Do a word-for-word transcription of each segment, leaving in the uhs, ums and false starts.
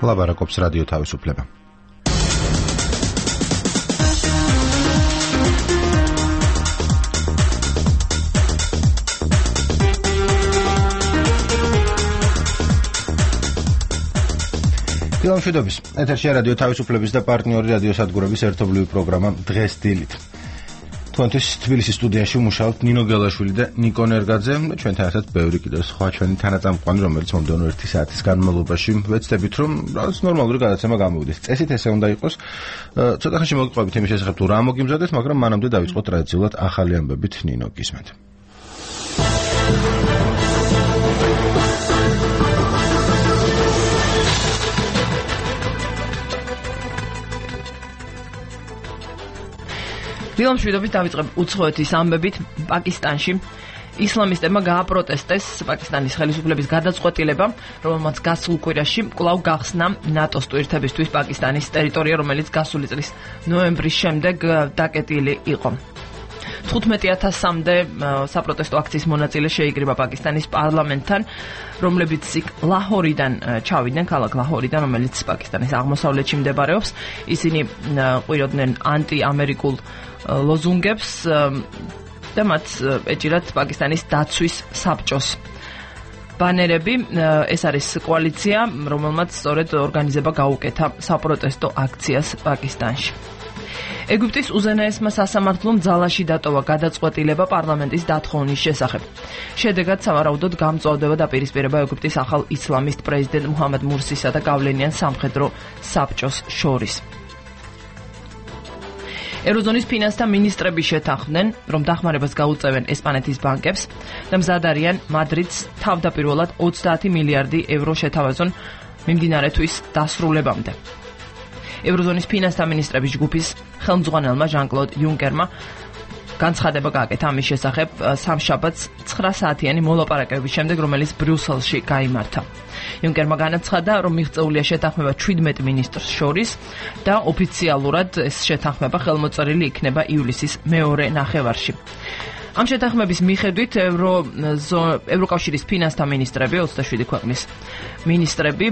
ლაბარაკობს რადიო თავისუფლება. დილამშვიდობის. ეთერშია რადიო თავისუფლების და პარტნიორი რადიო სადგურების ერთობლივი პროგრამა დღეს დილით. თქვენთვის თბილისის სტუდიაში მუშაობთ ნინო გელაშვილი და ნიკო ნერგაძე და ჩვენთან ერთად ბევრი კიდევ სხვა ჩვენი თანაწამყვანი, რომელიც მომდევნო ერთი საათის განმავლობაში ვეცდებით, რომ რაღაც ნორმალური გადაცემა გამოვიდეს. წესით ესე უნდა იყოს. ცოტა ხანში მოგიყვებით იმის შესახებ, თუ რა მოგიმზადეს, მაგრამ მანამდე დავიწყოთ ტრადიციულად ახალი ამბებით. ნინო, გისმენთ. დილამშვიდობით დავიწყებ უცხოეთის ამბებით. პაკისტანში ისლამისტებმა გააპროტესტეს პაკისტანის ხელისუფლების გადაწყვეტილება, რომელმაც გასულ კვირაში კვლავ გახსნა ნატოს ტვირთებისთვის პაკისტანის ტერიტორია, რომელიც გასული წლის ნოემბრის შემდეგ დაკეტილი იყო. თხუთმეტი ათასამდე საპროტესტო აქციის მონაწილე შეიკრიბა პაკისტანის პარლამენტთან, რომლებიც იქ ლაჰორიდან ჩავიდნენ, ქალაქ ლაჰორიდან, რომელიც პაკისტანის აღმოსავლეთში მდებარეობს. ისინი ყვიროდნენ ანტიამერიკულ ლოზუნგებს და მათ ეჭირათ პაკისტანის დაცვის საბჭოს ბანერები. ეს არის კოალიცია, რომელმაც სწორედ ორგანიზება გაუკეთა საპროტესტო აქციას პაკისტანში. ეგვიპტის უზენაესმა სასამართლომ ძალაში დატოვა გადაწყვეტილება პარლამენტის დათხოვნის შესახებ. შედეგად სავარაუდოდ გამწვავდება დაპირისპირება ეგვიპტის ახალ ისლამისტ პრეზიდენტ მუჰამედ მურსისა და გავლენიან სამხედრო საბჭოს შორის. ეროზონის ფინანსთა მინისტრები შეთანხმდნენ, რომ დახმარებას გაუწევენ ესპანეთის ბანკებს და მზად არიან მადრიდს თავდაპირველად ოცდაათი მილიარდი ევრო შეთავაზონ მიმდინარე თვის დასრულებამდე. ეროზონის ფინანსთა მინისტრების ჯგუფის ხელმძღვანელმა ჟან-კლოდ იუნკერმა განცხადება გააკეთა ამის შესახებ სამშაბათს ცხრა საათიანი მოლაპარაკებების შემდეგ, რომელიც ბრიუსელში გაიმართა. იუნკერმა განაცხადა, რომ მიღწეულია შეთანხმება შვიდმეტ მინისტრს შორის და ოფიციალურად ეს შეთანხმება ხელმოწერილი იქნება ივლისის მეორე ნახევარში. ამ შეთანხმების მიხედვით ევრო ევროკავშირის ფინანსთა მინისტრები, ოცდაშვიდი ქვეყნის მინისტრები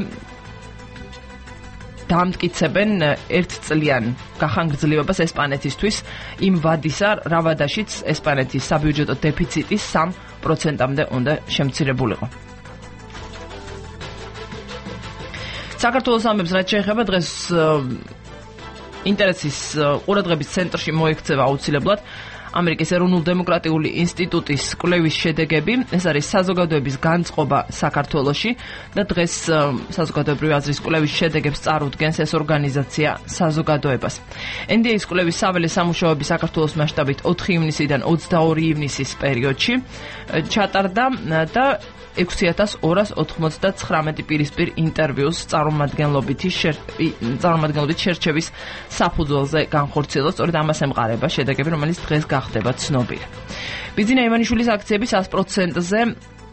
დამტკიცებენ ერთწლიან გახანგრძლივებას ესპანეთისთვის იმ ვადისა, რა ვადაშიც ესპანეთის საბიუჯეტო დეფიციტი სამ პროცენტამდე უნდა შემცირებულიყო. საქართველოს ამბებს რაც შეეხება, დღეს ინტერესის ყურადღების ცენტრში მოექცევა აუცილებლად ამერიკის ეროვნულ-დემოკრატიული ინსტიტუტის კვლევის შედეგები. ეს არის საზოგადოების განწყობა საქართველოში და დღეს საზოგადოებრივი აზრის კვლევის შედეგებს წარუდგენს ეს ორგანიზაცია საზოგადოებას. εν დი ეის კვლევის საველე სამუშაოები საქართველოს მასშტაბით ოთხი ივნისიდან ოცდაორი ივნისის პერიოდში ჩატარდა და ექვსი ათას ორას ოთხმოცდათხრამეტი პირისპირ ინტერვიუს წარმომადგენლობით წარმომადგენლობით შერჩევის საფუძველზე განხორციელდა. სწორედ ამას ემყარება შედეგები, რომელიც დღეს გახდება ცნობილი. ბიძინა ივანიშვილის აქციები ას პროცენტზე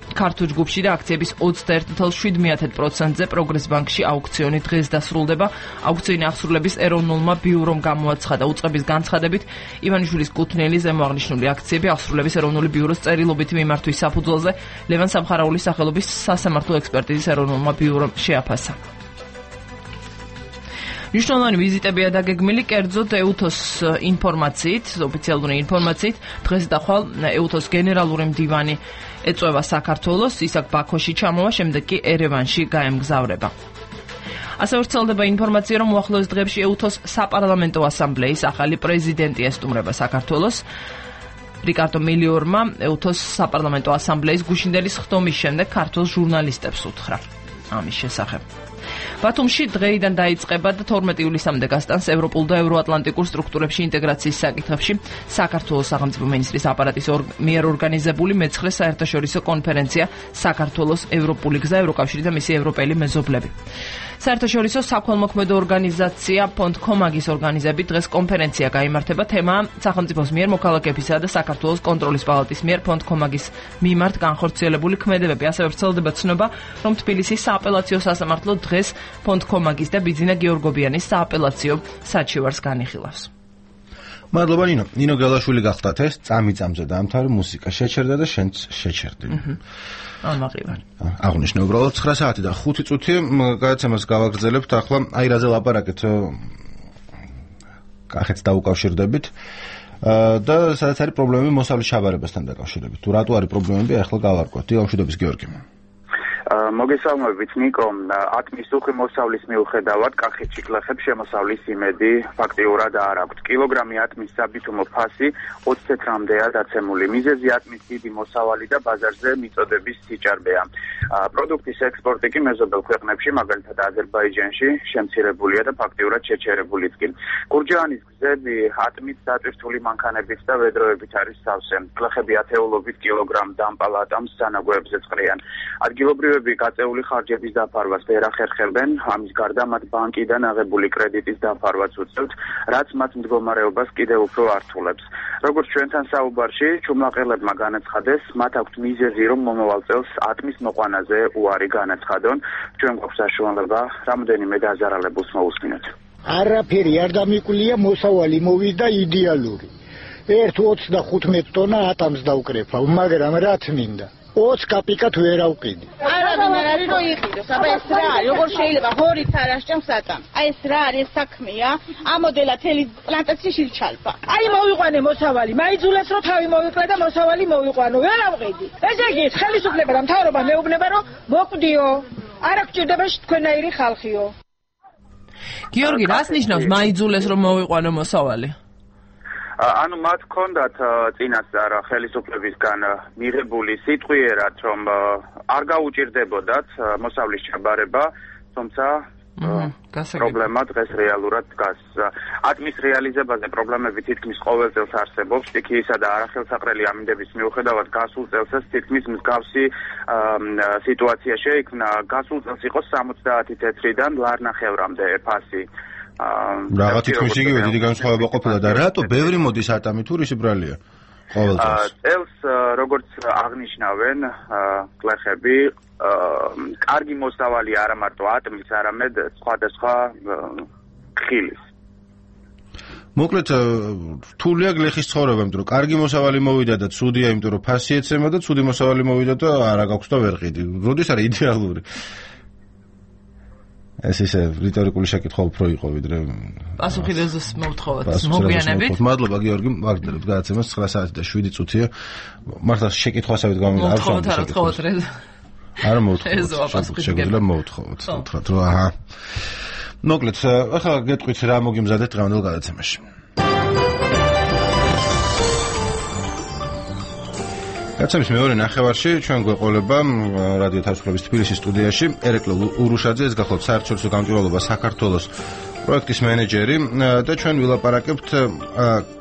ქართულ ჯგუფში და აქციების ოცდაერთი თვით შვიდ პროცენტზე პროგრეს ბანკში აუქციონი დღეს დასრულდება. აუქციონი აღსრულების ეროვნულმა ბიურომ გამოაცხადა. უწყების განცხადებით ივანიშვილის კუთვნილი ზემოაღნიშნული აქციები აღსრულების ეროვნული ბიუროს წერილობითი მიმართვის საფუძველზე ლევან სამხარაულის სახელობის სასამართლო ექსპერტიზის ეროვნულმა ბიურომ შეაფასა. მნიშვნელოვანი ვიზიტებია დაგეგმილი, კერძოდ ეუთოს ინფორმაციით, ოფიციალური ინფორმაციით, დღეს და ხვალ ეუთოს გენერალური მდივანი ეწვევა საქართველოს, ის აქ ბაქოში ჩამოვა, შემდეგ კი ერევანში გაემგზავრება. ასევე ვრცელდება ინფორმაცია, რომ უახლოეს დღეებში ეუთოს საპარლამენტო ასამბლეის ახალი პრეზიდენტი ესტუმრება საქართველოს. რიკარდო მელიორმა ეუთოს საპარლამენტო ასამბლეის გუშინდელი ხდომის შემდეგ ქართულ ჟურნალისტებს უთხრა ამის შესახებ. ბათუმში დღეიდან დაიწყება და თორმეტი ივლისამდე გასტანს ევროპულ და ევროატლანტიკურ სტრუქტურებში ინტეგრაციის საკითხებში საქართველოს სახელმწიფო მინისტრის აპარატის მიერ ორგანიზებული მეცხრე საერთაშორისო კონფერენცია საქართველოს ევროპული გზა, ევროკავშირი და მისი ევროპელი მეზობლები. საერთაშორისო საქველმოქმედო ორგანიზაცია ფონდ-კომაგის ორგანიზებით დღეს კონფერენცია გაიმართება. თემაა სახელმწიფოს მიერ მოქალაქეებისა და საქართველოს კონტროლის პალატის მიერ ფონდ-კომაგის მიმართ განხორციელებული ქმედებები. ასევე ვრცელდება ცნობა, რომ თბილისის სააპელაციო სასამართლო დღეს ფონდ-კომაგის და ბიძინა გეორგობიანის სააპელაციო საჩივარს განიხილავს. მადლობა ნინო. ნინო გელაშვილი გახდათ ეს წამიწამზე დაამთავრე მუსიკა შეჩერდა და შენც შეჩერდი. ან მაყივარ. აღნიშნე უბრალოდ ცხრა საათი და ხუთი წუთი გადაცემას გავაგრძელებთ ახლა აი რაზე ლაპარაკეთ კახეთს დაუკავშირდებით და სადაც არის პრობლემები მოსავლის ჩაბარებასთან დაკავშირებით. თუ რატო არის პრობლემები ახლა გავარკვევთ. დილამშვიდობის გიორგი. მოგესალმებით ნიკო, ათმის უხვი მოსავლის მიუხედავად კახეთში გლეხებს შემოსავლის იმედი ფაქტიურად არ აქვთ. კილოგრამი ათმის საბითუმო ფასი ოცი ცეტრამდეა დაცემული. მიზეზი ათმის დიდი მოსავალი და ბაზარზე მიწოდების სიჭარბეა. პროდუქტის ექსპორტი კი მეზობელ ქვეყნებში, მაგალითად აზერბაიჯანში, შემცირებულია და ფაქტიურად შეჩერებულიც კი. გურჯაანის გზები ათმის დატვირთული მანქანებით და ვედროებით არის სავსე. გლეხები ათეულობით კილოგრამ დამპალ ატამს სანაგვეებზე წყრიან. ადგილობრივები გაწეული ხარჯების დაფარვას ვერ ახერხებენ, ამის გარდა მათ ბანკიდან აღებული კრედიტის დაფარვაც უწევთ, რაც მათ მდგომარეობას კიდევ უფრო ართულებს. როგორც ჩვენთან საუბარში, ჩუმლაყელებმა განაცხადეს, მათ აქვთ მიზეზი, რომ მომავალ წელს ათმის მოყვანაზე უარი განაცხადონ. ჩვენ გვაქვს საშუალება რამდენიმე დაზარალებულს მოусმინოთ. არაფერი არ დამიკვირია, მოსავალი მოვიდა იდეალური. ერთ ოცდახუთმეტ ტონა ათამს დავკრეფავ, მაგრამ რაც მინდა ოცი კაპიკად ვერ ავყიდი. არა ვინ არის რო იყიდოს, აბა ეს რა არის, როგორ შეიძლება ჰორით არ ასჭამს ატამ. აი ეს რა არის საქმეა, ამოდელა თელი პლანტაციაში ჩალპა. აი მოვიყვანე მოსავალი, მაიძულეს რომ თავი მოვიკლე და მოსავალი მოვიყვანო, ვერ ავყიდი. ესე იგი ხელისუფლება და მთავრობა მეუბნება რომ მოკვდიო, არ გჭირდება თქვენაირი ხალხიო. გიორგი, რას ნიშნავს მაიძულეს რომ მოვიყვანო მოსავალი? ანუ მათ ჰქონდათ წინასწარ ხელისუფლებისგან მიღებული სიტყვიერად, რომ არ გაუჭირდებოდათ მოსავლის ჩაბარება, თუმცა პრობლემა დღეს რეალურად დგას. ათმის რეალიზებაზე პრობლემები თითქმის ყოველ წელს არსებობს. სტიქიისა და არახელსაყრელი ამინდების მიუხედავად გასულ წელსაც თითქმის მსგავსი სიტუაცია შეიქმნა. გასულ წელს იყო სამოცდაათი თეთრიდან ლარნახევრამდე ფასი. რაღაც თითქმის იგივე დიდი განსხვავება ყოფილა და რატო ბევრი მოდის ატამი თუ რისი ბრალია ყოველ წელს? წელს როგორც აღნიშნავენ გლეხები, კარგი მოსავალი არა მარტო ატმის, არამედ სხვადასხვა ხილის. მოკლედ რთულია გლეხის ცხოვრება, იმიტომ რომ კარგი მოსავალი მოვიდა და ცუდია, იმიტომ რომ ფასი ეცემა და ცუდი მოსავალი მოვიდა და არა გაქვს და ვერ ყიდი. როდის არის იდეალური? ეს ისე რიტორიკული შეკითხვა უფრო იყო ვიდრე პასუხი რეზოს მოვთხოვოთ მოგვიანებით. მადლობა გიორგი, ვაგრძელებთ გადაცემას ცხრა საათი და შვიდი წუთია. მართლა შეკითხვასავით გამოვიდა არ შევთხოვოთ რა თხოვოთ რეზო. არა მოვთხოვოთ. შეგვიძლია მოვთხოვოთ. უთხრათ რომ აჰა. მოკლედ ახლა გეტყვით რა მოგიმზადეთ დღევანდელ გადაცემაში. გადაცემის მეორე ნახევარში ჩვენ გვეყოლება რადიო თავისუფლების თბილისის სტუდიაში ერეკლე ურუშაძე, ეს გახლავთ საერთაშორისო გამჭვირვალობა საქართველოს პროექტის მენეჯერი და ჩვენ ვილაპარაკებთ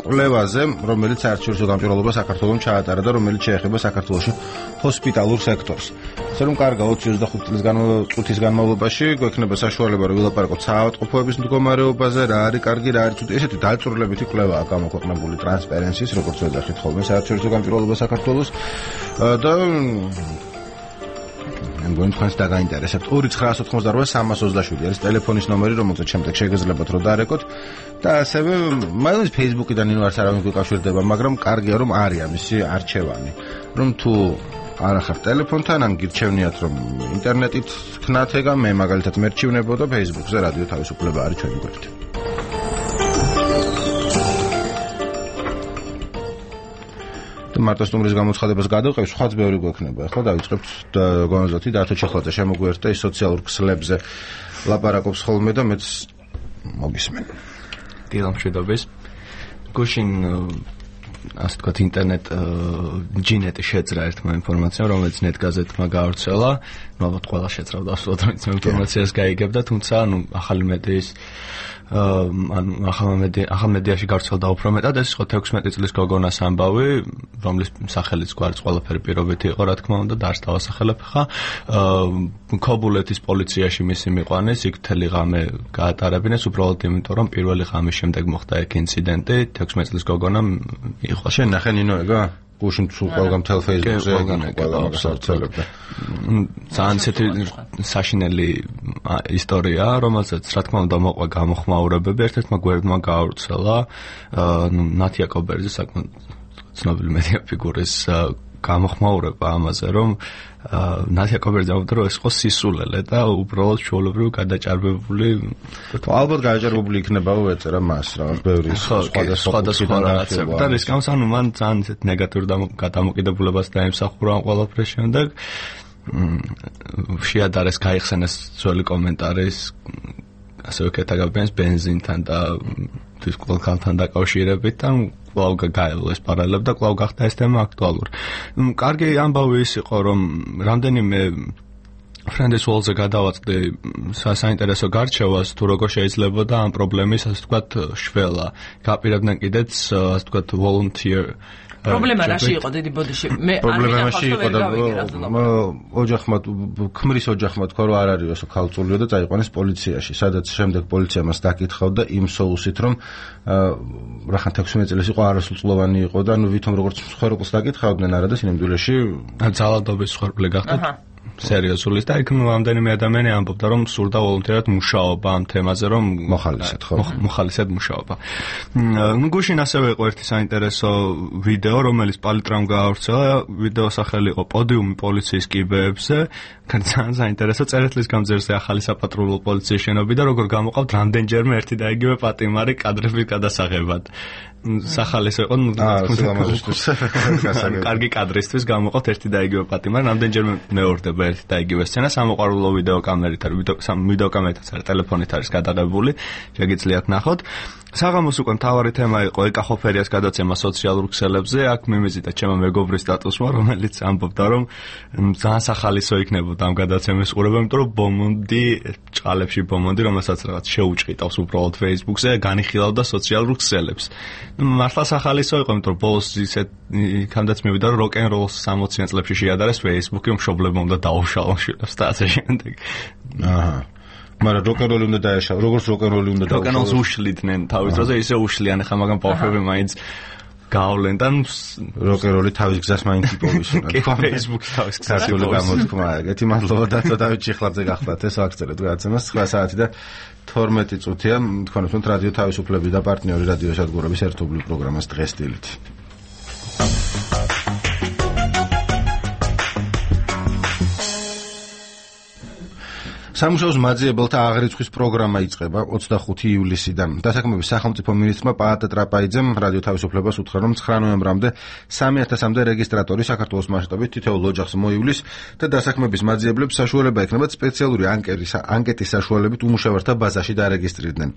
კვლევაზე, რომელიც საერთაშორისო გამჭვირვალობა საქართველოს ჩაატარა და რომელიც შეეხება საქართველოში ჰოსპიტალურ სექტორს. ასე რომ კარგა ოცი ოცდახუთი წლის წუთის განმავლობაში გვექნება საშუალება რომ ვილაპარაკოთ საავადმყოფოების მდგომარეობაზე, რა არის კარგი, რა არის ცუდი. ესეთი დაწვრილებითი კვლევაა გამოქვეყნებული ტრანსპერენსის, როგორც ვეძახით ხოლმე საერთაშორისო გამჭვირვალობა საქართველოს და მე მგონი თქვენს დაგაინტერესებთ. ორი ცხრაას ოთხმოცდაოთხი სამას ოცდაშვიდი არის ტელეფონის ნომერი, რომელზეც შემდეგ შეგეძლებათ რომ დარეკოთ და ასევე მაგალითად Facebook-იდან ინო არც არავინ გვიკავშირდება, მაგრამ კარგია რომ არის ამისი არჩევანი. რომ თუ არ ახართ ტელეფონთან, ან გირჩევნიათ რომ ინტერნეტით თქნათ ეგა, მე მაგალითად მერჩივნებო და Facebook-ზე რადიო თავისუფლება არის ჩვენი გვერდი. მარტო სტუმრის გამოცხადებას გადავყევ, სხვაც ბევრი გვექნება. ახლა დავიწყებთ გონზოთი და ათო ჩეხლაძე შემოგვიერთდა ის სოციალურ ქსლებზე ლაპარაკობს ხოლმე და მეც მოგისმენ. დილამშვიდობის. გუშინ ასე თქვათ ინტერნეტ ჯინეტი შეძრა ერთმა ინფორმაციამ, რომელიც ნეტგაზეთმა გაავრცელა. ნუ ალბათ ყველა შეძრავდა ასულად რომ ინფორმაციას გაიგებდა, თუმცა ანუ ახალი მედიის ანუ ახალ მედიაში გავრცელდა უფრო მეტად, ეს იყო თექვსმეტი წლის გოგონას ამბავი, რომლის სახელიც გვარიც ყველაფერი პირობითი იყო, რა თქმა უნდა, და არც დავასახელებ ხა. ქობულეთის პოლიციაში მისი მიყვანეს, იქ მთელი ღამე გაატარებინეს, უბრალოდ იმიტომ, რომ პირველი ღამის შემდეგ მოხდა ეგ ინციდენტი, თექვსმეტი წლის გოგონა იყო. შენ ნახე ნინო ეგა? გუშინ თუ ყველგან მთელ Facebook-ზე ყველა მაგას ავრცელებდა. ძალიან ისეთი საშინელი ისტორია, რომელსაც რა თქმა უნდა მოყვა გამოხმაურებები, ერთ-ერთმა გვერდმა გაავრცელა, ნუ ნათია კობერძის საკმაოდ ცნობილი მედია ფიგურის გამოხმაურება ამაზე, რომ ნათია კობერძი ამბობდა, რომ ეს იყო სისულელე და უბრალოდ ჩვეულებრივ გადაჭარბებული. ალბათ გადაჭარბებული იქნებაო ეწერა მას, რა, ბევრი სხვადასხვა რაღაცები. და რის გამოც ანუ მან ძალიან ისეთ ნეგატიურ გადამოკიდებულებას დაემსახურა ამ ყველაფრის შემდეგ. შეადარეს გაიხსენეს ძველი კომენტარის ასევე კეთაგაბენს ბენზინთან და დისკოლკანთან დაკავშირებით და კვლავ გაიელეს პარალელებ და კვლავ გახდა ეს თემა აქტუალური. კარგი ამბავი ის იყო, რომ რამდენიმე ფრენდის ვალზე გადავაწყდი საინტერესო გარჩევას, თუ როგორ შეიძლება და ამ პრობლემის, ასე ვთქვათ, შველა. გაპირებდნენ კიდეც, ასე ვთქვათ, volunteer პრობლემა რაში იყო დიდი ბოდიში? მე პრობლემაში იყო და ოჯახმა ქმრის ოჯახმა თქვა რომ არ არის όσο ქალწულიო და წაიყვანეს პოლიციაში, სადაც შემდეგ პოლიცია მას დაკითხავდა იმ соусით რომ რახან ექვსმეტ წელს იყო არასრულწლოვანი იყო და ნუ ვითომ როგორც მსხვერპლს დაკითხავდნენ არა და სინამდვილეში ძალადობის მსხვერპლი გახდა. სერიოზული და იქ ნუ ამდენიმე ადამიანი ამბობდა რომ სურდა ვოლუნტარად მუშაობა ამ თემაზე რომ მოხალისედ ხო მოხალისედ მუშაობა. ნუ გუშინ ასევე იყო ერთი საინტერესო ვიდეო რომელიც პალიტრამ გაავრცელა, ვიდეო სახელი იყო პოდიუმი პოლიციის კიბეებზე, ძალიან საინტერესო წერეთლის გამზერზე ახალი საპატრულო პოლიციის შენობა და როგორ გამოყავთ რამდენჯერმე ერთი და იგივე პატიმარი კადრების გადასაღებად. სახალისო იყო ნუ კარგი კადრისთვის გამოყავთ ერთი და იგივე პატიმარი, რამდენჯერმე მეორდება ერთი და იგივე სცენა, სამოყვარულო ვიდეო კამერით არის, ვიდეო კამერითაც არის, ტელეფონით არის გადაღებული, შეგიძლიათ ნახოთ. საღამოს უკვე მთავარი თემა იყო ეკახოფერიას გადაცემა სოციალურ ქსელებზე, აქ მიმიზიდა ჩემო მეგობრის სტატუსმა, რომელიც ამბობდა, რომ ძალიან სახალისო იქნებოდა ამ გადაცემის ყურება, იმიტომ რომ ბომონდი, ჭყალებში ბომონდი, რომელსაც რაღაც შეუჭყიტავს უბრალოდ Facebook-ზე, განიხილავდა სოციალურ ქსელებს. მართლა სახალისო იყო, იმიტომ რომ ბოლოს ისეთ იქამდეც მივიდა, რომ როკ-ენ-როლს სამოციან წლებში შეადარეს Facebook-ი, მშობლებმა უნდა დაუშალონ შვილებს და ასე შემდეგ. აჰა. მაგრამ როკ-ენ-როლი უნდა დაეშალოს, როგორც როკ-ენ-როლი უნდა დაუშალოს. როკ-ენ-როლს უშლიდნენ თავის დროზე, ისე უშლიან, ახლა მაგრამ ბავშვები მაინც გავლენ და როკ-ენ-როლი თავის გზას მაინც იპოვის უნდა. Facebook-ი თავის გზას გამოთქმა. ეგეთი მადლობა და დავით ჩიხლაძე გახლავთ ეს აქცერეთ გადაცემას ცხრა საათი და თორმეტი წუთია. თქვენს უნდა რადიო თავისუფლების და პარტნიორი რადიო სადგურების ერთობლივ პროგრამას დღეს დილით. სამუშაოს მაძიებელთა აღრიცხვის პროგრამა იწყება ოცდახუთი ივლისიდან. დასაქმების სახელმწიფო მინისტრმა პაატა ტრაპაიძემ რადიო თავისუფლებას უთხრა, რომ ცხრა ნოემბრამდე სამი ათასამდე რეგისტრატორი საქართველოს მასშტაბით თითოეულ ოჯახს მოივლის და დასაქმების მაძიებლებს საშუალება ექნებათ სპეციალური ანკეტის საშუალებით უმუშევართა ბაზაში დარეგისტრირდნენ.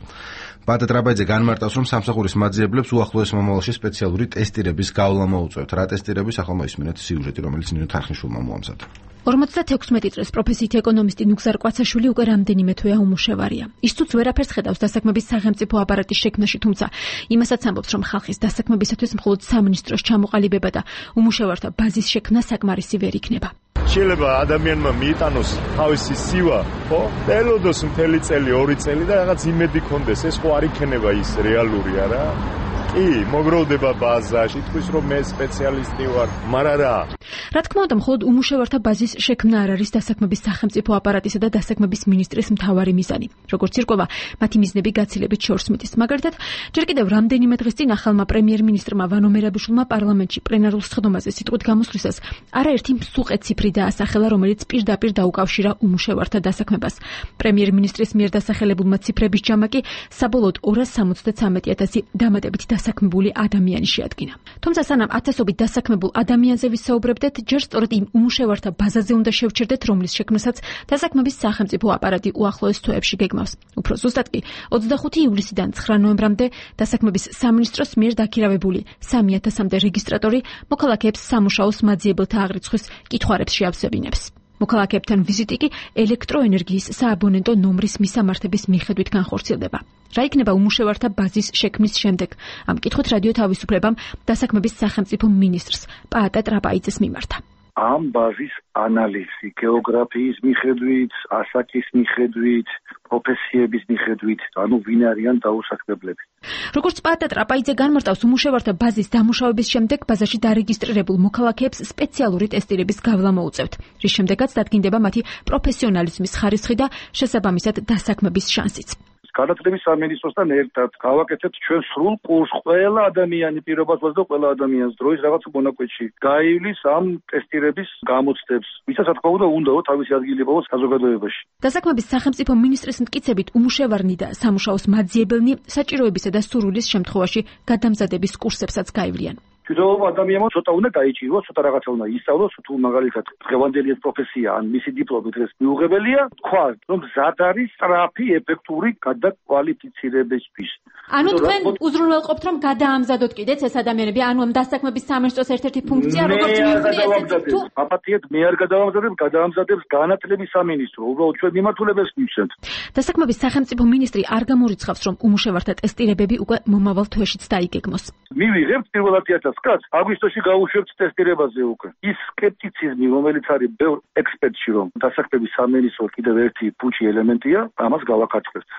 პაატა ტრაპაიძე განმარტავს, რომ სამსახურის მაძიებლებს უახლოეს მომავალში სპეციალური ტესტირების გავლა მოუწევთ. რა ტესტირების ახლა მოისმინეთ სიუჟეტი, რომელიც ნინო თარხნიშვილმა მოამზადა. ორმოცდათექვსმეტი წლის პროფესიით ეკონომისტი ნუგზარ კვაცაშვილი უკვე რამდენიმე თვეა უმუშევარია. ის თუც ვერაფერს ხედავს დასაქმების სახელმწიფო აპარატის შექმნაში, თუმცა იმასაც ამბობს, რომ ხალხის დასაქმებისათვის მხოლოდ სამინისტროს ჩამოყალიბება და უმუშევართა ბაზის შექმნა საკმარისი ვერ იქნება. შეიძლება ადამიანმა მიიტანოს თავისი სივა, ხო? ელოდოს მთელი წელი, ორი წელი და რაღაც იმედი კონდეს, ეს ხო არ იქნება ის რეალური არა? კი, მოგროვდება ბაზაში, თქვის რომ მე სპეციალისტი ვარ, მაგრამ რა? რა თქმა უნდა, მხოლოდ უმუშევართა ბაზის შექმნა არ არის დასაქმების სახელმწიფო აპარატისა და დასაქმების მინისტრის მთავარი მიზანი. როგორც ირკვევა, მათი მიზნები გაცილებით შორს მიდის. მაგალითად, ჯერ კიდევ რამდენიმე დღის წინ ახალმა პრემიერ-მინისტრმა ვანო მერაბიშვილმა პარლამენტში პლენარულ სხდომაზე სიტყვით გამოსვლისას არაერთი მსუყე ციფრი დაასახელა, რომელიც პირდაპირ დაუკავშირა უმუშევართა დასაქმებას. პრემიერ-მინისტრის მიერ დასახელებულმა ციფრების ჯამაკი საბოლოოდ ორას სამოცდათრამეტი ათასი დამატებით დასაქმებული ადამიანი შეადგინა. თუმცა სანამ ათასობით დასაქმებულ ადამიანზე ვისაუბრებდეთ, ჯერ სწორედ იმ უმუშევართა ბაზაზე უნდა შევჩერდეთ, რომლის შექმნასაც დასაქმების სახელმწიფო აპარატი უახლოეს თვეებში გეგმავს. უფრო ზუსტად კი ოცდახუთი ივლისიდან ცხრა ნოემბრამდე დასაქმების სამინისტროს მიერ დაქირავებული სამი ათასამდე რეგისტრატორი მოქალაქეებს სამუშაოს მაძიებელთა აღრიცხვის კითხვარებს შეავსებინებს. მოქალაქეებთან ვიზიტი კი ელექტროენერგიის სააბონენტო ნომრის მისამართების მიხედვით განხორციელდება. რა იქნება უმუშევართა ბაზის შექმნის შემდეგ? ამ კითხვით რადიო თავისუფლებამ დასაქმების სახელმწიფო მინისტრს პაატა ტრაპაიძეს მიმართა. ამ ბაზის ანალიზი გეოგრაფიის მიხედვით, ასაკის მიხედვით, პროფესიების მიხედვით, ანუ ვინ არიან დაუსახლებელები. როგორც პატა ტრაპაიძე განმარტავს, უმუშევართა ბაზის დამუშავების შემდეგ ბაზაში დარეგისტრირებულ მოქალაქეებს სპეციალური ტესტირების გავლა მოუწევთ, რის შემდეგაც დადგინდება მათი პროფესიონალიზმის ხარისხი და შესაბამისად დასაქმების შანსიც. განათლების სამინისტროსთან ერთად გავაკეთებთ ჩვენ სრულ კურსს ყველა ადამიანი პირობასა და ყველა ადამიანს დროის რაღაც მონაკვეთში გაივლის ამ ტესტირების გამოცდებს, ვისაც რა თქმა უნდა უნდაო თავისი ადგილი პოვოს საზოგადოებაში. დასაქმების სახელმწიფო მინისტრის მტკიცებით უმუშევარნი და სამუშაოს მაძიებელნი საჭიროებისა და სურვილის შემთხვევაში გადამზადების კურსებსაც გაივლიან. თვითონ ადამიანმა ცოტა უნდა გაიჭიროს, ცოტა რაღაცა უნდა ისწავლოს, თუ მაგალითად დღევანდელი პროფესია ან მისი დიპლომი დღეს მიუღებელია, თქვა, რომ მზად არის სწრაფი, ეფექტური გადაკვალიფიცირებისთვის. ანუ თქვენ უზრუნველყოფთ, რომ გადაამზადოთ კიდეც ეს ადამიანები, ანუ ამ დასაქმების სამინისტროს ერთ-ერთი ფუნქცია, როგორც მივხვდი, ესეც თუ აპატიეთ მე არ გადავამზადებ, გადაამზადებს განათლების სამინისტრო, უბრალოდ ჩვენ მიმართულებას მივცემთ. დასაქმების სახელმწიფო მინისტრი არ გამორიცხავს, რომ უმუშევართა ტესტირებები უკვე მომავალ თვეშიც დაიგეგმოს. მივიღებთ პირველ ათი ათას კაც აგვისტოში გავუშვებთ ტესტირებაზე უკვე. ის სკეპტიციზმი, რომელიც არის ბევრ ექსპერტში, რომ დასაქმების სამინისტრო კიდევ ერთი ფუჭი ელემენტია, ამას გავაკაცხებთ.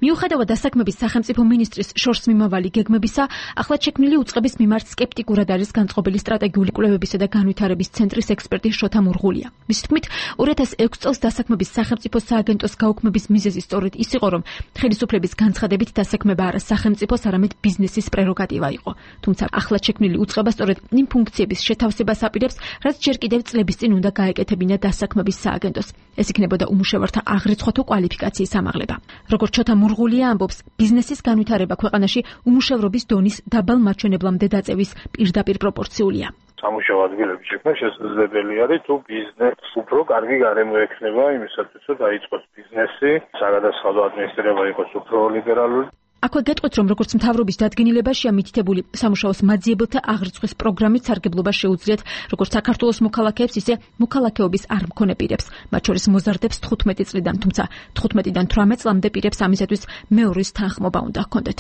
მიუხედავად დასაქმების სახელმწიფო მინისტრის შორს მიმავალი გეგმებისა, ახლად შექმნილი უწყების მიმართ სკეპტიკურად არის განწყობილი სტრატეგიული კვლევებისა და განვითარების ცენტრის ექსპერტი შოთა მურღულია. მის თქმით, ორი ათას ექვსი წელს დასაქმების სახელმწიფო სააგენტოს გაუქმების მიზეზი სწორედ ის იყო, რომ ხელისუფლების განცხადებით დასაქმება არა სახელმწიფოს, არამედ ბიზნესის პრეროგატივა იყო. თუმცა ახლად შექმნილი უწყება სწორედ იმ ფუნქციების შეთავსებას აპირებს, რაც ჯერ კიდევ წლების წინ უნდა გაეკეთებინა დასაქმების სააგენტოს. ეს იქნებოდა უმუშევართა აღრიცხვათო კვალიფიკაციის ამაღლება. როგორც შოთა მურღულია ამბობს, ბიზნესის განვითარება ქვეყანაში უმუშევრობის დონის დაბალ მაჩვენებლამდე დაწევის პირდაპირ პროპორციულია. სამუშაო ადგილების შექმნა შესაძლებელი არის, თუ ბიზნესს უფრო კარგი გარემო ექნება იმისათვის, რომ დაიწყოს ბიზნესი, საგადასახადო ადმინისტრირება იყოს უფრო ლიბერალური. აქვე გეტყვით, რომ როგორც მთავრობის დადგენილებაშია მითითებული სამუშაოს მაძიებელთა აღრიცხვის პროგრამით სარგებლობა შეუძლიათ როგორც საქართველოს მოქალაქეებს, ისე მოქალაქეობის არ მქონე პირებს, მათ შორის მოზარდებს თხუთმეტი წლიდან, თუმცა თხუთმეტიდან თვრამეტ წლამდე პირებს ამისათვის მეორის თანხმობა უნდა ჰქონდეთ.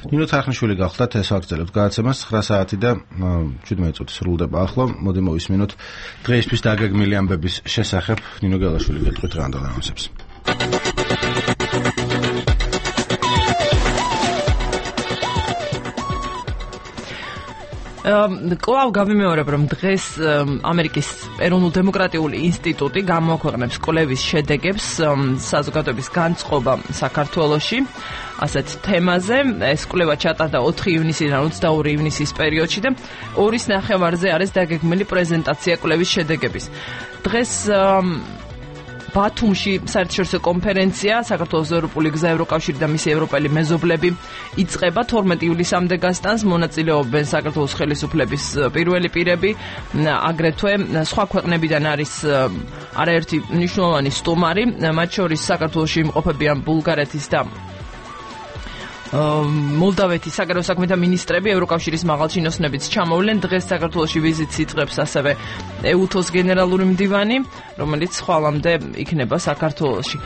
ნინო თარხნიშვილი გახლდათ, ეს ვაგრძელებთ გადაცემას ცხრა საათი და შვიდმეტი წუთი სრულდება ახლა. მოდი მოვისმინოთ დღეისთვის დაგეგმილი ამბების შესახებ ნინო გელაშვილი გეტყვით რა უნდა განსებს. კლავ გავიმეორებ, რომ დღეს ამერიკის ეროვნულ დემოკრატიული ინსტიტუტი გამოაქვეყნებს კვლევის შედეგებს საზოგადოების განწყობა საქართველოში ასეთ თემაზე. ეს კვლევა ჩატარდა ოთხი ივნისიდან ოცდაორი ივნისის პერიოდში და ორის ნახევარზე არის დაგეგმილი პრეზენტაცია კვლევის შედეგების. დღეს ბათუმში საერთაშორისო კონფერენცია საქართველოს ევროპული გზა ევროკავშირი და მისი ევროპელი მეზობლები იწყება თორმეტი ივლისამდე გასტანს. მონაწილეობენ საქართველოს ხელისუფლების პირველი პირები, აგრეთვე სხვა ქვეყნებიდან არის არაერთი მნიშვნელოვანი სტუმარი, მათ შორის საქართველოში იმყოფებიან ბულგარეთის და მოლდავეთის საგარეო საქმეთა მინისტრები, ევროკავშირის მაღალჩინოსნებიც ჩამოვლენ. დღეს საქართველოში ვიზიტს იწყებს ასევე ეუთოს გენერალური მდივანი, რომელიც ხვალამდე იქნება საქართველოში.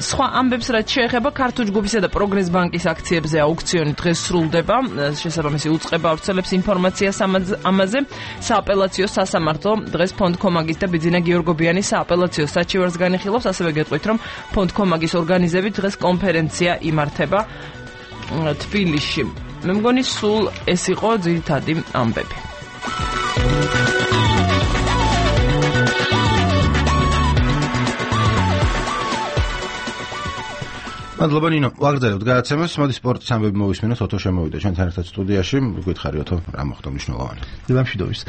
სხვა ამბებს რაც შეეხება ქართულ ჯგუფისა და პროგრეს ბანკის აქციებზე აუქციონი დღეს სრულდება. შესაბამისი უწყება ავრცელებს ინფორმაციას ამაზე. სააპელაციო სასამართლო დღეს ფონდ კომაგის და ბიძინა გიორგობიანის სააპელაციო საჩივარს განიხილავს. ასევე გეტყვით, რომ ფონდ კომაგის ორგანიზებით დღეს კონფერენცია იმართება თბილისში. მე მგონი სულ ეს იყო ძირითადი ამბები. მადლობა ნინო, ვაგრძელებთ გადაცემას. მოდი სპორტის ამბები მოვისმინოთ. ოთო შემოვიდა ჩვენთან ერთად სტუდიაში. გითხარი ოთო, რა მოხდა მნიშვნელოვანი? დილამშვიდობის.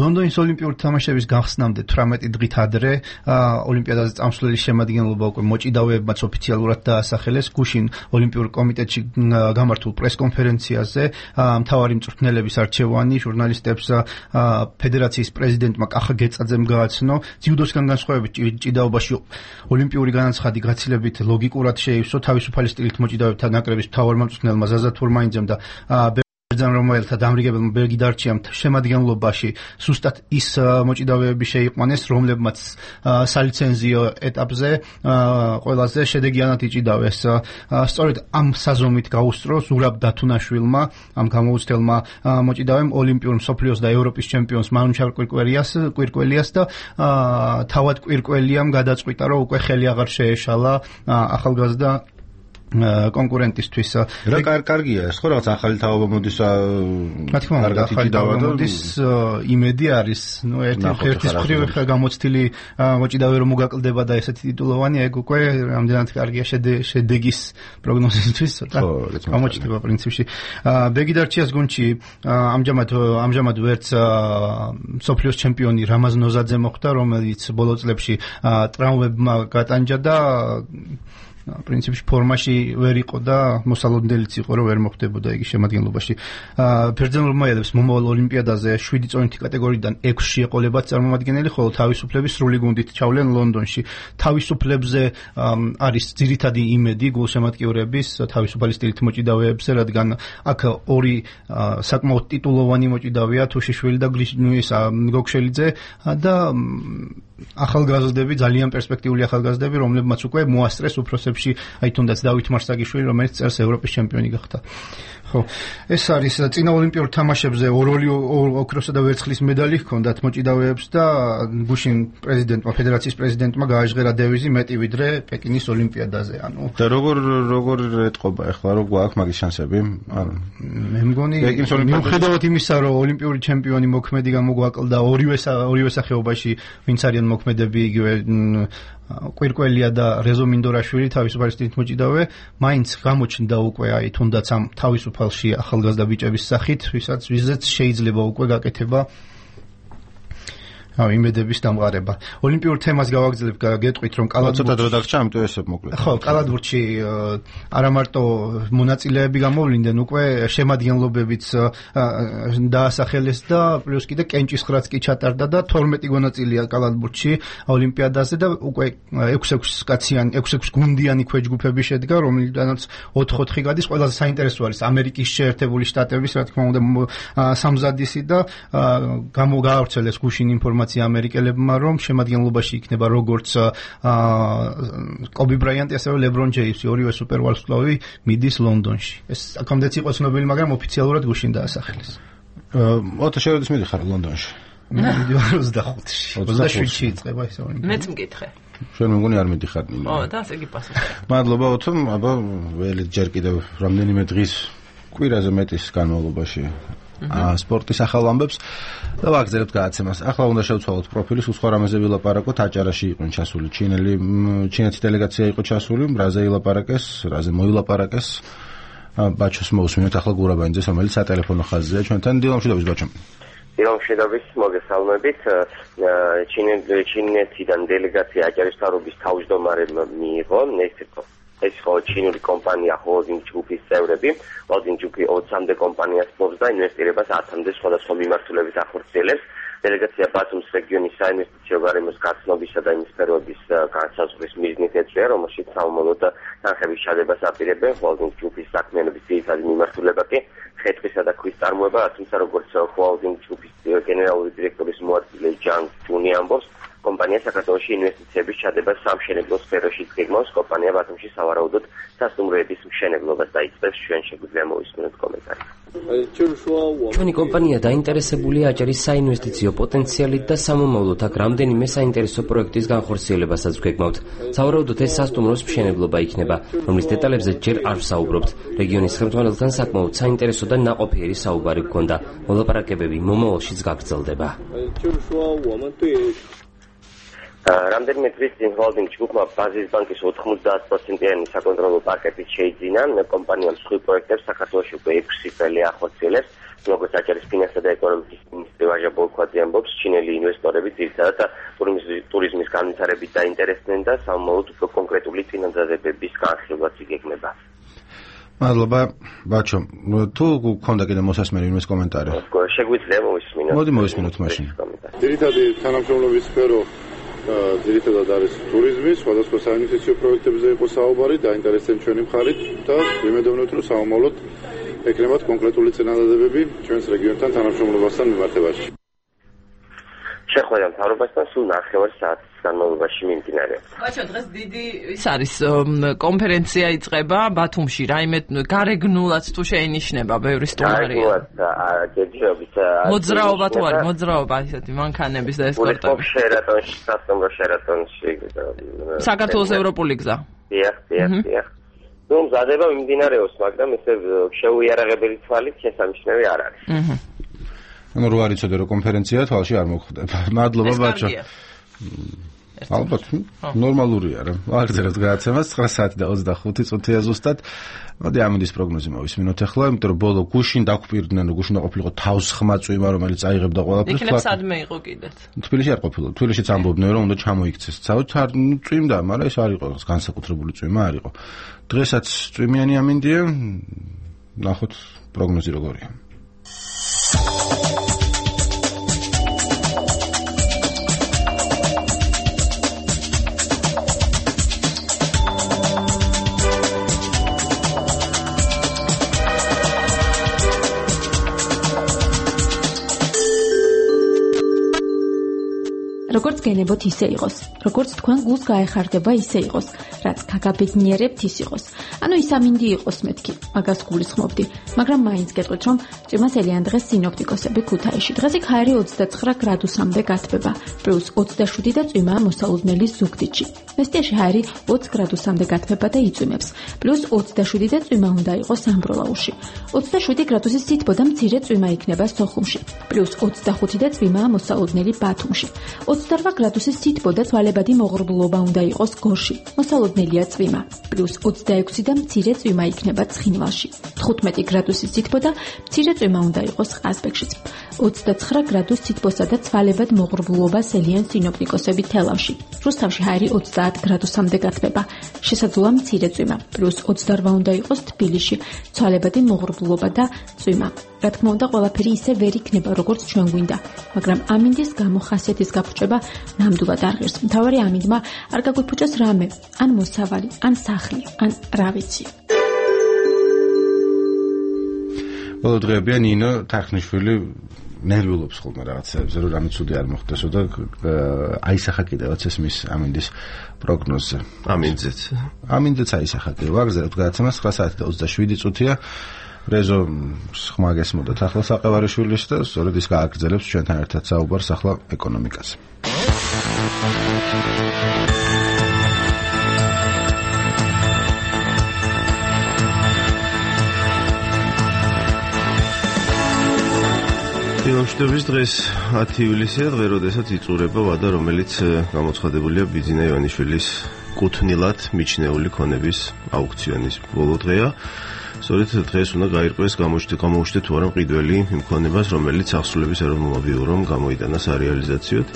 ლონდონის ოლიმპიური თამაშების გახსნამდე თვრამეტი დღით ადრე ოლიმპიადაზე წამსვლელი შემადგენლობა უკვე მოჭიდავეებმაც ოფიციალურად დაასახელეს. გუშინ ოლიმპიურ კომიტეტში გამართულ პრესკონფერენციაზე მთავარი მწვრთნელების არჩევანი ჟურნალისტებს ფედერაციის პრეზიდენტმა კახა გეწაძემ გააცნო. ძიუდოსგან განსხვავებით ჭიდაობაში ოლიმპიური განაცხადი გაცილებით ლოგიკურად შეივსო თავისუფალი სტილით მოჭიდავეთა ნაკრების მთავარ მომწვრთნელმა ზაზა თურმაინძემ და ბერძენ-რომაელთა დამრიგებელმა ბეგიდარჩიამ შემადგენლობაში ზუსტად ის მოჭიდავეები შეიყვანეს, რომლებმაც სალიცენზიო ეტაპზე ყველაზე შედეგიანად იჭიდავეს. სწორედ ამ საზომით გაუსწრო ზურაბ დათუნაშვილმა, ამ გამოუცდელმა მოჭიდავემ ოლიმპიურ მსოფლიოს და ევროპის ჩემპიონს მანუჩარ კვირკველიას კვირკველიას და თავად კვირკველიამ გადაწყვიტა, რომ უკვე ხელი აღარ შეეშალა ახალგაზრდა კონკურენტისთვის. რა კარგია ეს ხო რაღაც ახალი თაობა მოდის რა თქმა უნდა ახალი თაობა მოდის იმედი არის ნუ ერთი ერთის მხრივ ხა გამოცდილი მოჭიდავე რომ მოგაკლდება და ესეთი ტიტულოვანი ეგ უკვე რამდენად კარგია შედეგის პროგნოზისთვის ცოტა გამოჩნდება პრინციპში. ბეგიდარჩიას გუნდში ამჯამად ამჯამად ვერც სოფლიოს ჩემპიონი რამაზ ნოზაძე მოხვდა, რომელიც ბოლო წლებში ტრავმებმა გატანჯა და პრინციპში ფორმაში ვერ იყო და მოსალოდნელიც იყო, რომ ვერ მოხვდებოდა იგი შემადგენლობაში. ბერძენ-რომაელებს მომავალ ოლიმპიადაზე შვიდი წონითი კატეგორიიდან ექვსში ეყოლებათ წარმომადგენელი, ხოლო თავისუფლების სრული გუნდით ჩავლენ ლონდონში. თავისუფლებზე არის ძირითადი იმედი გულშემატკივრების თავისუფალი სტილით მოჭიდავეებზე, რადგან აქ ორი საკმაოდ ტიტულოვანი მოჭიდავეა, თუშიშვილი და გოგშელიძე და ახალგაზრდები, ძალიან პერსპექტიული ახალგაზრდები, რომლებმაც უკვე მოასწრეს უფროსებში, აი თუნდაც დავით მარსაგიშვილი, რომელიც წელს ევროპის ჩემპიონი გახდა. ხო, ეს არის წინა ოლიმპიურ თამაშებზე ორ-ორი ოქროსა და ვერცხლის მედალი ჰქონდათ მოჭიდავეებს და გუშინ პრეზიდენტმა, ფედერაციის პრეზიდენტმა გააჟღერა დევიზი მეტი ვიდრე პეკინის ოლიმპიადაზე, ანუ და როგორ როგორ ეტყობა ახლა რო გვაქვს მაგის შანსები? ანუ მე მგონი მიუხედავად იმისა, რომ ოლიმპიური ჩემპიონი მოქმედი გამოგვაკლდა ორივე ორივე სახეობაში, ვინც არიან მოქმედები იგივე კვირკველია და რეზო მინდორაშვილი თავისუფალი სტილით მოჭიდავე, მაინც გამოჩნდა უკვე აი თუნდაც ამ თავისუფალში ახალგაზრდა ბიჭების სახით, ვისაც ვიზეც შეიძლება უკვე გაკეთება აუ იმედების დამყარება. ოლიმპიურ თემას გავაგრძელებ, გეტყვით რომ კალათბურთში ცოტა დრო დაგჭა, ამიტომ ესე მოკლედ. ხო, კალათბურთში არა მარტო მონაწილეები გამოვლინდნენ, უკვე შემადგენლობებიც დაასახელეს და პლუს კიდე კენჭისხრაც კი ჩატარდა და თორმეტი მონაწილეა კალათბურთში ოლიმპიადაზე და უკვე ექვსი-ექვსი კაციანი, ექვსი-ექვსი გუნდიანი ქვეჯგუფები შედგა, რომელთანაც ოთხ-ოთხი გადის. ყველაზე საინტერესო არის ამერიკის შეერთებული შტატების, რა თქმა უნდა, სამზადისი და გამოგაავრცელეს გუშინ ინფორმაცია ამერიკელებმა, რომ შემადგენლობაში იქნება როგორც კობი ბრაიანტი, ასევე ლებრონ ჯეიმსი, ორივე სუპერვარსკვლავი მიდის ლონდონში. ეს აქამდეც იყო ცნობილი, მაგრამ ოფიციალურად გუშინ დაასახელეს. ოთო შევედის მიდიხარ ლონდონში. მიდივარ ოცდახუთში. ოცდაშვიდში იწყება ეს ოლიმპიადა. მეც მკითხე. შენ მეგონი არ მიდიხარ. ო, და ასე იგი პასუხი. მადლობა ოთო, აბა ველი ჯერ კიდევ რამდენიმე დღის კვირაზე მეტის განმავლობაში სპორტის ახალ ამბებს და ვაგრძელებთ გადაცემას. ახლა უნდა შევცვალოთ პროფილი, სულ სხვა რამეზე ვილაპარაკოთ. აჭარაში იყვნენ ჩასული ჩინელი, ჩინეთის დელეგაცია იყო ჩასული, რაზე ილაპარაკეს, რაზე მოილაპარაკეს. ბაჩოს მოусმინოთ ახლა გურაბანიძეს, რომელიც სატელეფონო ხაზზეა ჩვენთან. დილამშვიდობის ბაჩო. დილამშვიდობის, მოგესალმებით. ჩინეთიდან დელეგაცია აჭარის მთავრობის თავმჯდომარემ მიიღო, ნექსტო ეს ხო ჩინური კომპანია ჰოლდინგ ჯგუფის წევრები, ჰოლდინგ ჯგუფი ოცამდე კომპანიას ფლობს და ინვესტირებას ათამდე სხვადასხვა მიმართულებით ახორციელებს. დელეგაცია ბათუმის რეგიონის საინვესტიციო გარემოს გაცნობისა და იმის სფეროების განსაზღვრის მიზნით ეწვია, რომელშიც საომოლო და თანხების ჩადებას აპირებენ. ჰოლდინგ ჯგუფის საქმიანობის ძირითადი მიმართულება კი ხე-ტყისა და ქვის წარმოება, თუმცა როგორც ჰოლდინგ ჯგუფის გენერალური დირექტორის მოადგილე ჯანგ ჯუნი ამბობს, კომპანია საქართველოში ინვესტიციების ჩადებას სამშენებლო სფეროში გეგმავს. კომპანია ბათუმში სავარაუდოდ სასტუმროების მშენებლობას დაიწყებს. ჩვენ შეგვიძლია მოვისმინოთ კომენტარი. ჩვენი კომპანია დაინტერესებულია აჭარის საინვესტიციო პოტენციალით და სამომავლოდ აქ რამდენიმე საინტერესო პროექტის განხორციელებასაც გვეგმავთ. სავარაუდოდ ეს სასტუმროს მშენებლობა იქნება, რომლის დეტალებზე ჯერ არ ვსაუბრობთ. რეგიონის ხელმძღვანელთან საკმაოდ საინტერესო და ნაყოფიერი საუბარი გქონდა. მოლაპარაკებები მომავალშიც გაგრძელდება. რამდენიმე დღის წინ ჰოლდინგ ჯგუფმა ბაზის ბანკის ოთხმოცდაათ პროცენტიანი საკონტროლო პაკეტით შეიძინა. კომპანიამ სხვი პროექტებს საქართველოში უკვე ექვსი წელი ახორციელებს. როგორც აჭარის ფინანსთა და ეკონომიკის მინისტრი ვაჟა ბოლქვაძე ამბობს, ჩინელი ინვესტორები ძირითადად ტურიზმის განვითარებით დაინტერესდნენ და სამომავლოდ უფრო კონკრეტული წინადადებების განხილვაც იგეგმება. მადლობა ბაჩო. თუ გქონდა კიდე მოსასმენი იმის კომენტარი? შეგვიძლია მოვისმინოთ. მოდი მოვისმინოთ მაშინ. ძირითადი თანამშრომლობის სფერო ძირითადად არის ტურიზმი, სხვადასხვა საინვესტიციო პროექტებზე იყო საუბარი, დაინტერესდნენ ჩვენი მხარით და ვიმედოვნებთ, რომ სამომავლოდ ექნებათ კონკრეტული წინადადებები ჩვენს რეგიონთან თანამშრომლობასთან მიმართებაში. შეხვედრა მთავრობასთან სულ ნახევარ საათის განმავლობაში მიმდინარეობს. ბაჩო, დღეს დიდი ის არის კონფერენცია იწყება ბათუმში, რაიმე გარეგნულად თუ შეინიშნება ბევრი სტუმარია. გარეგნულად გეძრობით მოძრაობა თუ არის, მოძრაობა ისეთი მანქანების და ესკორტების. შერატონში, სასტუმრო შერატონში. საქართველოს ევროპული გზა. დიახ, დიახ, დიახ. ნუ მზადება მიმდინარეობს, მაგრამ ესე შეუიარაღებელი თვალით შესამჩნევი არ არის. აჰა. ანუ რო არ იცოდე რომ კონფერენცია თვალში არ მოხდება. მადლობა ბაჩო. ალბათ ნორმალურია რა. აღწერეთ გადაცემას ცხრა საათი და ოცდახუთი წუთია ზუსტად. მოდი ამინდის პროგნოზი მოვისმინოთ ახლა, იმიტომ რომ ბოლო გუშინ დაგხვირდნენ რომ გუშინ ყოფილიყო თავს ხმა წვიმა, რომელიც აიღებდა ყველაფერს. იქნებ სადმე იყო კიდეც. თბილისში არ ყოფილა. თბილისშიც ამბობდნენ რომ უნდა ჩამოიქცეს. ცალთ არ წვიმდა, მაგრამ ეს არ იყო განსაკუთრებული წვიმა არ იყო. დღესაც წვიმიანი ამინდია. ნახოთ პროგნოზი როგორია. როგორც გენებოთ ისე იყოს, როგორც თქვენ გულს გაეხარდება ისე იყოს, რაც გაგაბედნიერებთ ის იყოს. ანუ ის ამინდი იყოს მეთქი, მაგას გულისხმობდი, მაგრამ მაინც გეტყვით რომ წვიმას ელიან დღეს სინოპტიკოსები ქუთაისში. დღეს იქ ჰაერი ოცდაცხრა გრადუსამდე გათბება, პლუს ოცდაშვიდი და წვიმაა მოსალოდნელი ზუგდიდში. მესტიაში ჰაერი ოცი გრადუსამდე გათბება და იწვიმებს, პლუს ოცდაშვიდი და წვიმა უნდა იყოს ამბროლაურში. ოცდაშვიდი გრადუსის სითბო და მცირე წვიმა იქნება სოხუმში, პლუს ოცდახუთი და წვიმაა მოსალოდნელი ბათუმში. ოცდარვა გრადუსის სითბო და თვალებადი მოღრუბლობა უნდა იყოს გორში. მოსალოდნელია წვიმა, პლუს ოცდაექვსი და მცირე წვიმა იქნება ცხინვალში. თხუთმეტი გრადუსის სითბო და მცირე წვიმა უნდა იყოს ყაზბეგშიც. ოცდაცხრა გრადუს სითბოსა და თვალებად მოღრუბლობას ელიან სინოპტიკოსები თელავში. რუსთავში ჰაერი ოცდაათ გრადუსამდე გათბება, შესაძლოა მცირე წვიმა, პლუს ოცდარვა უნდა იყოს თბილისში, თვალებადი მოღრუბლობა და წვიმა. რა თქმა უნდა, ყველაფერი ისე ვერ იქნება, როგორც ჩვენ გვინდა, მაგრამ ამინდის გამო ხასიათის გაფუჭება ნამდვილად არ ღირს. მთავარი ამინდმა არ გაგვიფუჭოს რამე, ან მოსავალი, ან სახლი, ან რა ვიცი. ბოლო დღეებია ნინო თახნიშვილი ნერვიულობს ხოლმე რაღაცებზე, რომ რამე ცუდი არ მოხდესო და აისახა კიდევაც ეს მის ამინდის პროგნოზზე. ამინძეც. ამინძეც აისახა კიდევ. ვაგზავნებთ გადაცემას ცხრა საათი და ოცდაშვიდი წუთია. რეზო ხმა გესმოდათ ახლა საყევარიშვილის და სწორედ ის გააგრძელებს ჩვენთან ერთად საუბარს ახლა ეკონომიკაზე. ბავშვების დღეს ათი ივლისია, დღე როდესაც იწურება ვადა, რომელიც გამოცხადებულია ბიძინა ივანიშვილის კუთვნილად მიჩნეული ქონების აუქციონის ბოლო დღეა. სწორედ დღეს უნდა გაირკვეს გამოუჩნდეთ თუ არა მყიდველი იმ ქონებას, რომელიც აღსრულების ეროვნულმა ბიურომ გამოიტანა სარეალიზაციოდ.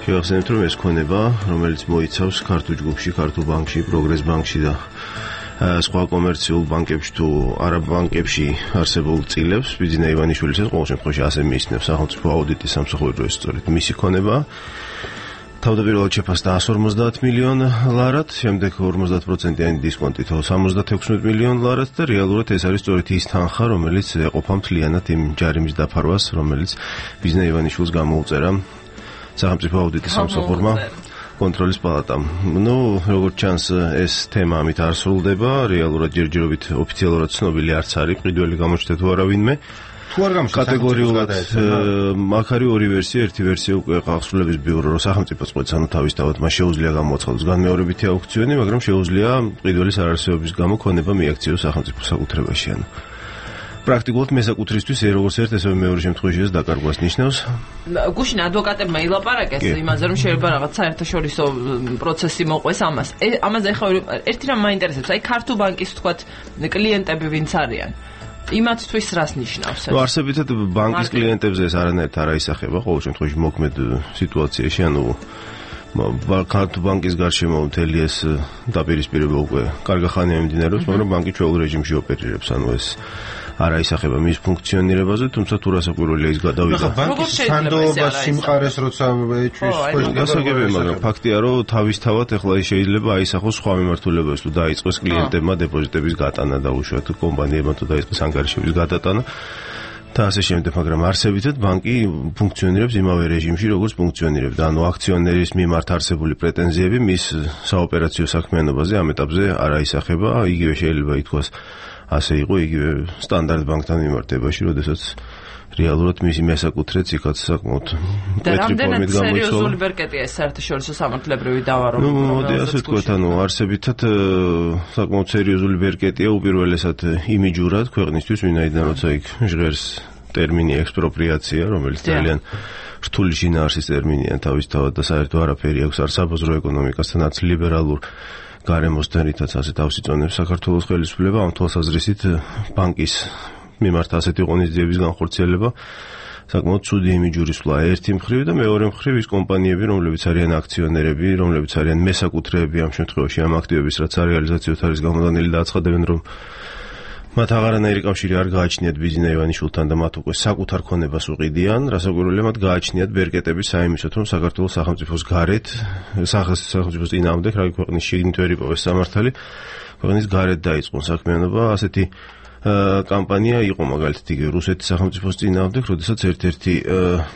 შევახსენებთ, რომ ეს ქონება, რომელიც მოიცავს ქართულ ჯგუფში, ქართულ ბანკში, პროგრეს ბანკში და სხვა კომერციულ ბანკებში თუ არაბანკებში არსებულ წილებს, ბიძინა ივანიშვილისაც ყოველ შემთხვევაში ასე მიიჩნევს სახელმწიფო აუდიტის სამსახური, რომ ეს სწორედ მისი ქონება. თავდაპირველად შეფასდა εκατს ორმოცდაათ მილიონ ლარად, შემდეგ ორმოცდაათ პროცენტიანი დისკონტით სამოცდათექვსმეტ მილიონ ლარად და რეალურად ეს არის სწორედ ის თანხა, რომელიც ეყოფა მთლიანად იმ ჯარიმის დაფარვას, რომელიც ბიძინა ივანიშვილს გამოუწერა სახელმწიფო აუდიტის სამსახურმა კონტროლის პალატამ. ნუ როგორც ჩანს, ეს თემა ამით არ სრულდება, რეალურად ჯერჯერობით ოფიციალურად ცნობილი არც არის მყიდველი გამოჩნდა თუ არა ვინმე. თუ არ გამოჩნდა კატეგორიულად აქ არის ორი ვერსია, ერთი ვერსია უკვე აღსრულების ბიურო, რომ სახელმწიფოც ყოც ანუ თავისთავად მას შეუძლია გამოაცხადოს განმეორებითი აუქციონი, მაგრამ შეუძლია მყიდველის არარსებობის გამო ქონება მიაქციოს სახელმწიფო საკუთრებაში. ანუ პრაქტიკულად მესაკუთრისთვის როგორც ერთ ესევე მეორე შემთხვევაშიც დაკარგვას ნიშნავს. გუშინ ადვოკატებმა ილაპარაკეს იმაზე, რომ შეიძლება რაღაც საერთაშორისო პროცესი მოყვეს ამას. ამაზე ახლა ერთი რამ მაინტერესებს, აი ქართულ ბანკის თქვათ კლიენტები ვინც არიან. იმათთვის რას ნიშნავს ეს? ნუ არსებითად ბანკის კლიენტებზე ეს არანაირად არ აისახება, ყოველ შემთხვევაში მოქმედ სიტუაციაში, ანუ ქართულ ბანკის გარშემო მთელი ეს დაპირისპირება უკვე კარგი ხანია მიმდინარეობს, მაგრამ ბანკი ჩვეულ რეჟიმში ოპერირებს, ანუ ეს არ აისახება მის ფუნქციონირებაზე, თუმცა თუ რასაკვირველია ის გადავიდა. ბანკის სანდოობა სიმყარეს როცა ეჭვის გასაგებია, მაგრამ ფაქტია, რომ თავისთავად ეხლა ის შეიძლება აისახოს სხვა მიმართულებებს, თუ დაიწყოს კლიენტებმა დეპოზიტების გატანა და უშუალოდ კომპანიებმა თუ დაიწყოს ანგარიშების გადატანა და ასე შემდეგ, მაგრამ არსებითად ბანკი ფუნქციონირებს იმავე რეჟიმში, როგორც ფუნქციონირებდა. ანუ აქციონერის მიმართ არსებული პრეტენზიები მის საოპერაციო საქმიანობაზე ამ ეტაპზე არ აისახება, იგივე შეიძლება ითქვას ასე იყო იგივე სტანდარტ ბანკთან მიმართებაში, როდესაც რეალურად მისი მესაკუთრეც იქაც საკმაოდ მკვეთრი ფორმით გამოიცვალა. სერიოზული ბერკეტია ეს საერთაშორისო სამართლებრივი დავა, რომ ნუ მოდი ასე ვთქვათ, ანუ არსებითად საკმაოდ სერიოზული ბერკეტია უპირველესად იმიჯურად ქვეყნისთვის, ვინაიდან როცა იქ ჟღერს ტერმინი ექსპროპრიაცია, რომელიც ძალიან რთული შინაარსის ტერმინია თავისთავად და საერთო არაფერი აქვს არ საბაზრო ეკონომიკასთან, არც ლიბერალურ გარემოსთან, რითაც ასე თავს იწონებს საქართველოს ხელისუფლება. ამ თვალსაზრისით ბანკის მიმართ ასეთი ღონისძიების განხორციელება საკმაოდ ცუდი იმიჯური სვლა ერთი მხრივ და მეორე მხრივ ის კომპანიები, რომლებიც არიან აქციონერები, რომლებიც არიან მესაკუთრეები ამ შემთხვევაში ამ აქტივების, რაც რეალიზაციოთ არის გამოდანილი და აცხადებენ, რომ მათ აღარანაირი კავშირი არ გააჩნიათ ბიზნეს ივანიშვილთან და მათ უკვე საკუთარ ქონებას უყიდიან, რასაკვირველია მათ გააჩნიათ ბერკეტები საიმისოთ, რომ საქართველოს სახელმწიფოს გარეთ, სახელმწიფოს წინააღმდეგ, რა ქვეყნის შიგნით ვერ იპოვეს სამართალი, ქვეყნის გარეთ დაიწყონ საქმიანობა. ასეთი კამპანია იყო მაგალითად იგივე რუსეთის სახელმწიფოს წინააღმდეგ, როდესაც ერთ-ერთი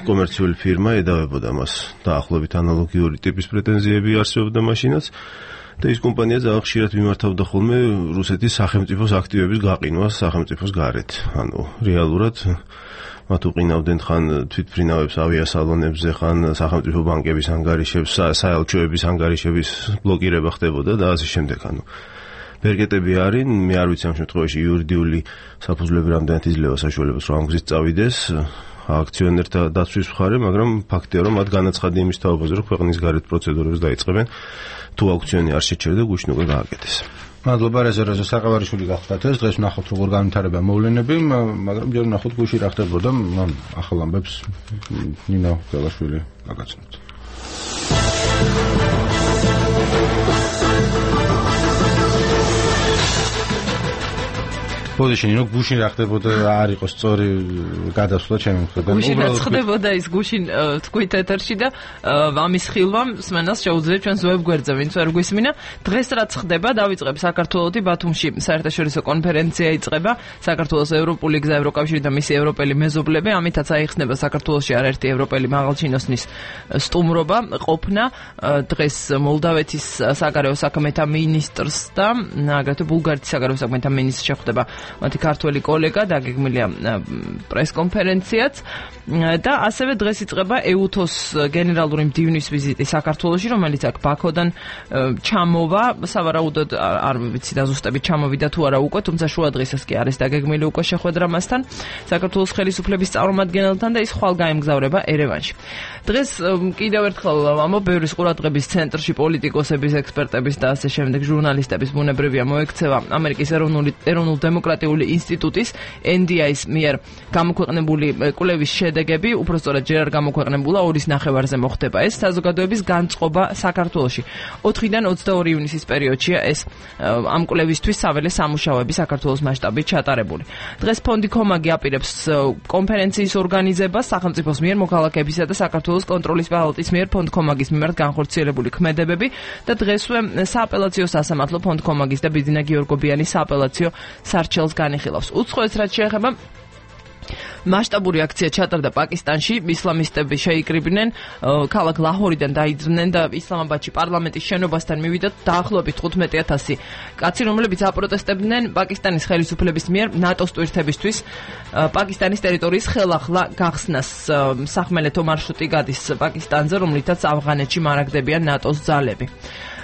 კომერციული ფირმა ედავებოდა მას დაახლოებით ანალოგიური ტიპის პრეტენზიები არსებობდა მაშინაც და ის კომპანია ძალიან ხშირად მიმართავდა ხოლმე რუსეთის სახელმწიფოს აქტივების გაყინვას სახელმწიფოს გარეთ. ანუ რეალურად მათ უყინავდნენ ხან თვითმფრინავებს ავიასალონებზე, ხან სახელმწიფო ბანკების ანგარიშებს, საელჩოების ანგარიშების ბლოკირება ხდებოდა და ასე შემდეგ. ანუ ბერკეტები არის, მე არ ვიცი ამ შემთხვევაში იურიდიული საფუძვლები რამდენად იძლევა საშუალებას, რომ ამ გზით წავიდეს აქციონერთა დაცვის მხარე, მაგრამ ფაქტია, რომ მათ განაცხადია იმის თაობაზე, რომ ქვეყნის გარეთ პროცედურებს დაიწყებენ, თუ აუქციონი არ შეჩერდა, გუშინ უკვე გააკეთეს. მადლობა რეზერვაზე საყევარიშვილი გახდათ ეს დღეს ვნახოთ როგორ განვითარება მოვლენები, მაგრამ ჯერ ვნახოთ გუშინ რა ხდებოდა, ახალ ამბებს ნინო გელაშვილი გაგაცნოთ. პოზიციინო გუშინ რა ხდებოდა არ იყო სწორი გადასვლა ჩემი მხრიდან. გუშინ რა ხდებოდა ის გუშინ თქვით ეთერში და ამის ხილვამ სმენას შეუძლია ჩვენს ვებგვერდზე ვინც ვერ გვისმინა. დღეს რაც ხდება დავიწყებ საქართველოსი ბათუმში საერთაშორისო კონფერენცია იწყება საქართველოს ევროპული გზა ევროკავშირი და მისი ევროპელი მეზობლები. ამითაც აიხსნება საქართველოში არაერთი ევროპელი მაღალჩინოსნის სტუმრობა ყოფნა. დღეს მოლდავეთის საგარეო საქმეთა მინისტრს და აგრეთვე ბულგარეთის საგარეო საქმეთა მინისტრს შეხვდება მათი ქართველი კოლეგა დაგეგმილია პრესკონფერენციაც და ასევე დღეს იწყება ეუთოს გენერალური მდივნის ვიზიტი საქართველოში, რომელიც აქ ბაქოდან ჩამოვა, სავარაუდოდ არ ვიცი დაზუსტებით ჩამოვიდა თუ არა უკვე, თუმცა შუა დღესაც კი არის დაგეგმილი უკვე შეხვედრა მასთან, საქართველოს ხელისუფლების წარმომადგენელთან და ის ხვალ გაემგზავრება ერევანში. დღეს კიდევ ერთხელ ამბობ ბევრის ყურადღების ცენტრში პოლიტიკოსების, ექსპერტების და ასე შემდეგ ჟურნალისტების ბუნებრივია მოექცევა ამერიკის ეროვნული ეროვნულ დემოკრატიული ინსტიტუტის ენ დი აის მიერ გამოქვეყნებული კვლევის შედეგები, უпростоრად ჯერ არ გამოქვეყნებულა ორის ნახევარზე მოხდება ეს საზოგადოების განწყობა საქართველოში. ოთხიდან ოცდაორი ივნისის პერიოდშია ეს ამ კვლევისთვის საველე სამუშაოები საქართველოს მასშტაბით ჩატარებული. დღეს ფონდი კომაგი აპირებს კონფერენციის ორგანიზებას სახელმწიფოს მიერ მოქალაქეებისა და საქართველოს კონტროლის პალატის მიერ ფონდ კომაგის მიმართ განხორციელებული ქმედებები და დღესვე სააპელაციო სასამართლო ფონდ კომაგის და ბიძინა გიორგობიანის სააპელაციო სარჩელს განიხილავს. უცხოეთს რაც შეეხება მასშტაბური აქცია ჩატარდა პაკისტანში, ისლამისტები შეიკრიბნენ, ქალაქ ლაჰორიდან დაიძრნენ და ისლამაბადში პარლამენტის შენობასთან მივიდათ დაახლოებით თხუთმეტი ათასი კაცი, რომლებიც აპროტესტებდნენ პაკისტანის ხელისუფლების მიერ ნატოს ტვირთებისთვის პაკისტანის ტერიტორიის ხელახლა გახსნას. სახმელეთო მარშრუტი გადის პაკისტანზე, რომლითაც ავღანეთში მარაგდებიან ნატოს ძალები.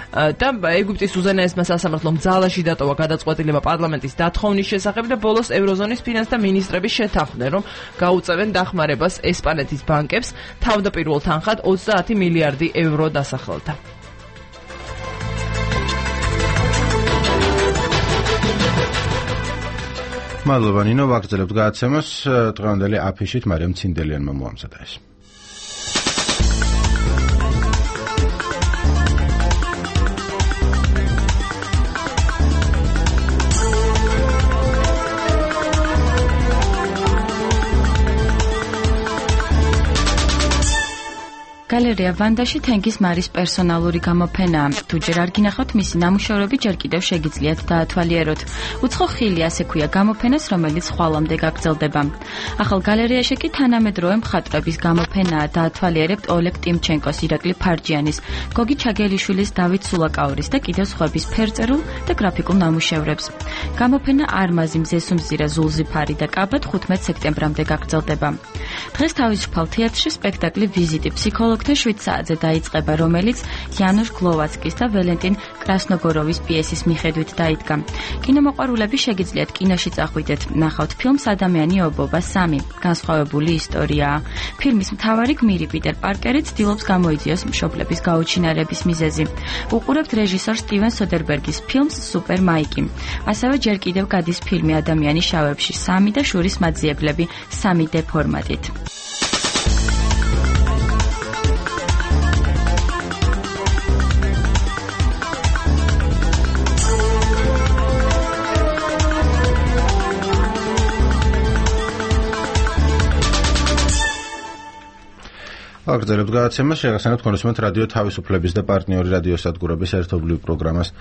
და ეგვიპტის უზენაესმა სასამართლომ ძალაში დატოვა გადაწყვეტილება პარლამენტის დათხოვნის შესახებ და ბოლოს ევროზონის ფინანსთა მინისტრები შეთანხმდნენ, რომ გაუწევენ დახმარებას ესპანეთის ბანკებს თავდაპირველ თანხად ოცდაათი მილიარდი ევრო დასახელდა. მადლობა ნინო, ვაგრძელებთ გადაცემას. დღევანდელი აფიშით მარიამ ცინდელიანმა მოამზადა ეს. გალერეა ვანდაში თენგის მარის პერსონალური გამოფენაა. თუ ჯერ არ გინახავთ მისი ნამუშევრები, ჯერ კიდევ შეგიძლიათ დაათვალიეროთ. უცხო ხილი ასე ქვია გამოფენას, რომელიც ხვალამდე გაგრძელდება. ახალ გალერეაში კი თანამედროვე მხატვრების გამოფენაა. დაათვალიერებთ ოლეგ ტიმჩენკოს, ირაკლი ფარჯიანის, გოგი ჩაგელიშვილის, დავით სულაკაურის და კიდევ სხვების ფერწერულ და გრაფიკულ ნამუშევრებს. გამოფენა არმაზი, მზესუმზირა, ზულზიფარი და კაბად ხუთმეტ სექტემბრამდე გაგრძელდება. დღეს თავისუფალ თეატრში სპექტაკლი ვიზიტი ფსიქოლოგთა შვიდ საათზე დაიწყება, რომელიც იანუშ გლოვაცკის და ველენტინ კრასნოგოროვის პიესის მიხედვით დაიდგა. კინომოყვარულები შეგიძლიათ კინოში წახვიდეთ, ნახავთ ფილმს ადამიანი ობობა სამი, განსხვავებული ისტორიაა. ფილმის მთავარი გმირი პიტერ პარკერი ცდილობს გამოიძიოს მშობლების გაუჩინარების მიზეზი. უყურებთ რეჟისორ სტივენ სოდერბერგის ფილმს სუპერ მაიკი. ასევე ჯერ კიდევ გადის ფილმი ადამიანი შავებში სამი და შურის მაძიებლები სამი დე ფორმატით. აგრძელებთ გადაცემას, შეგახსენებთ კონსუმენტ რადიო თავისუფლების და პარტნიორი რადიოსადგურების ერთობლივ პროგრამას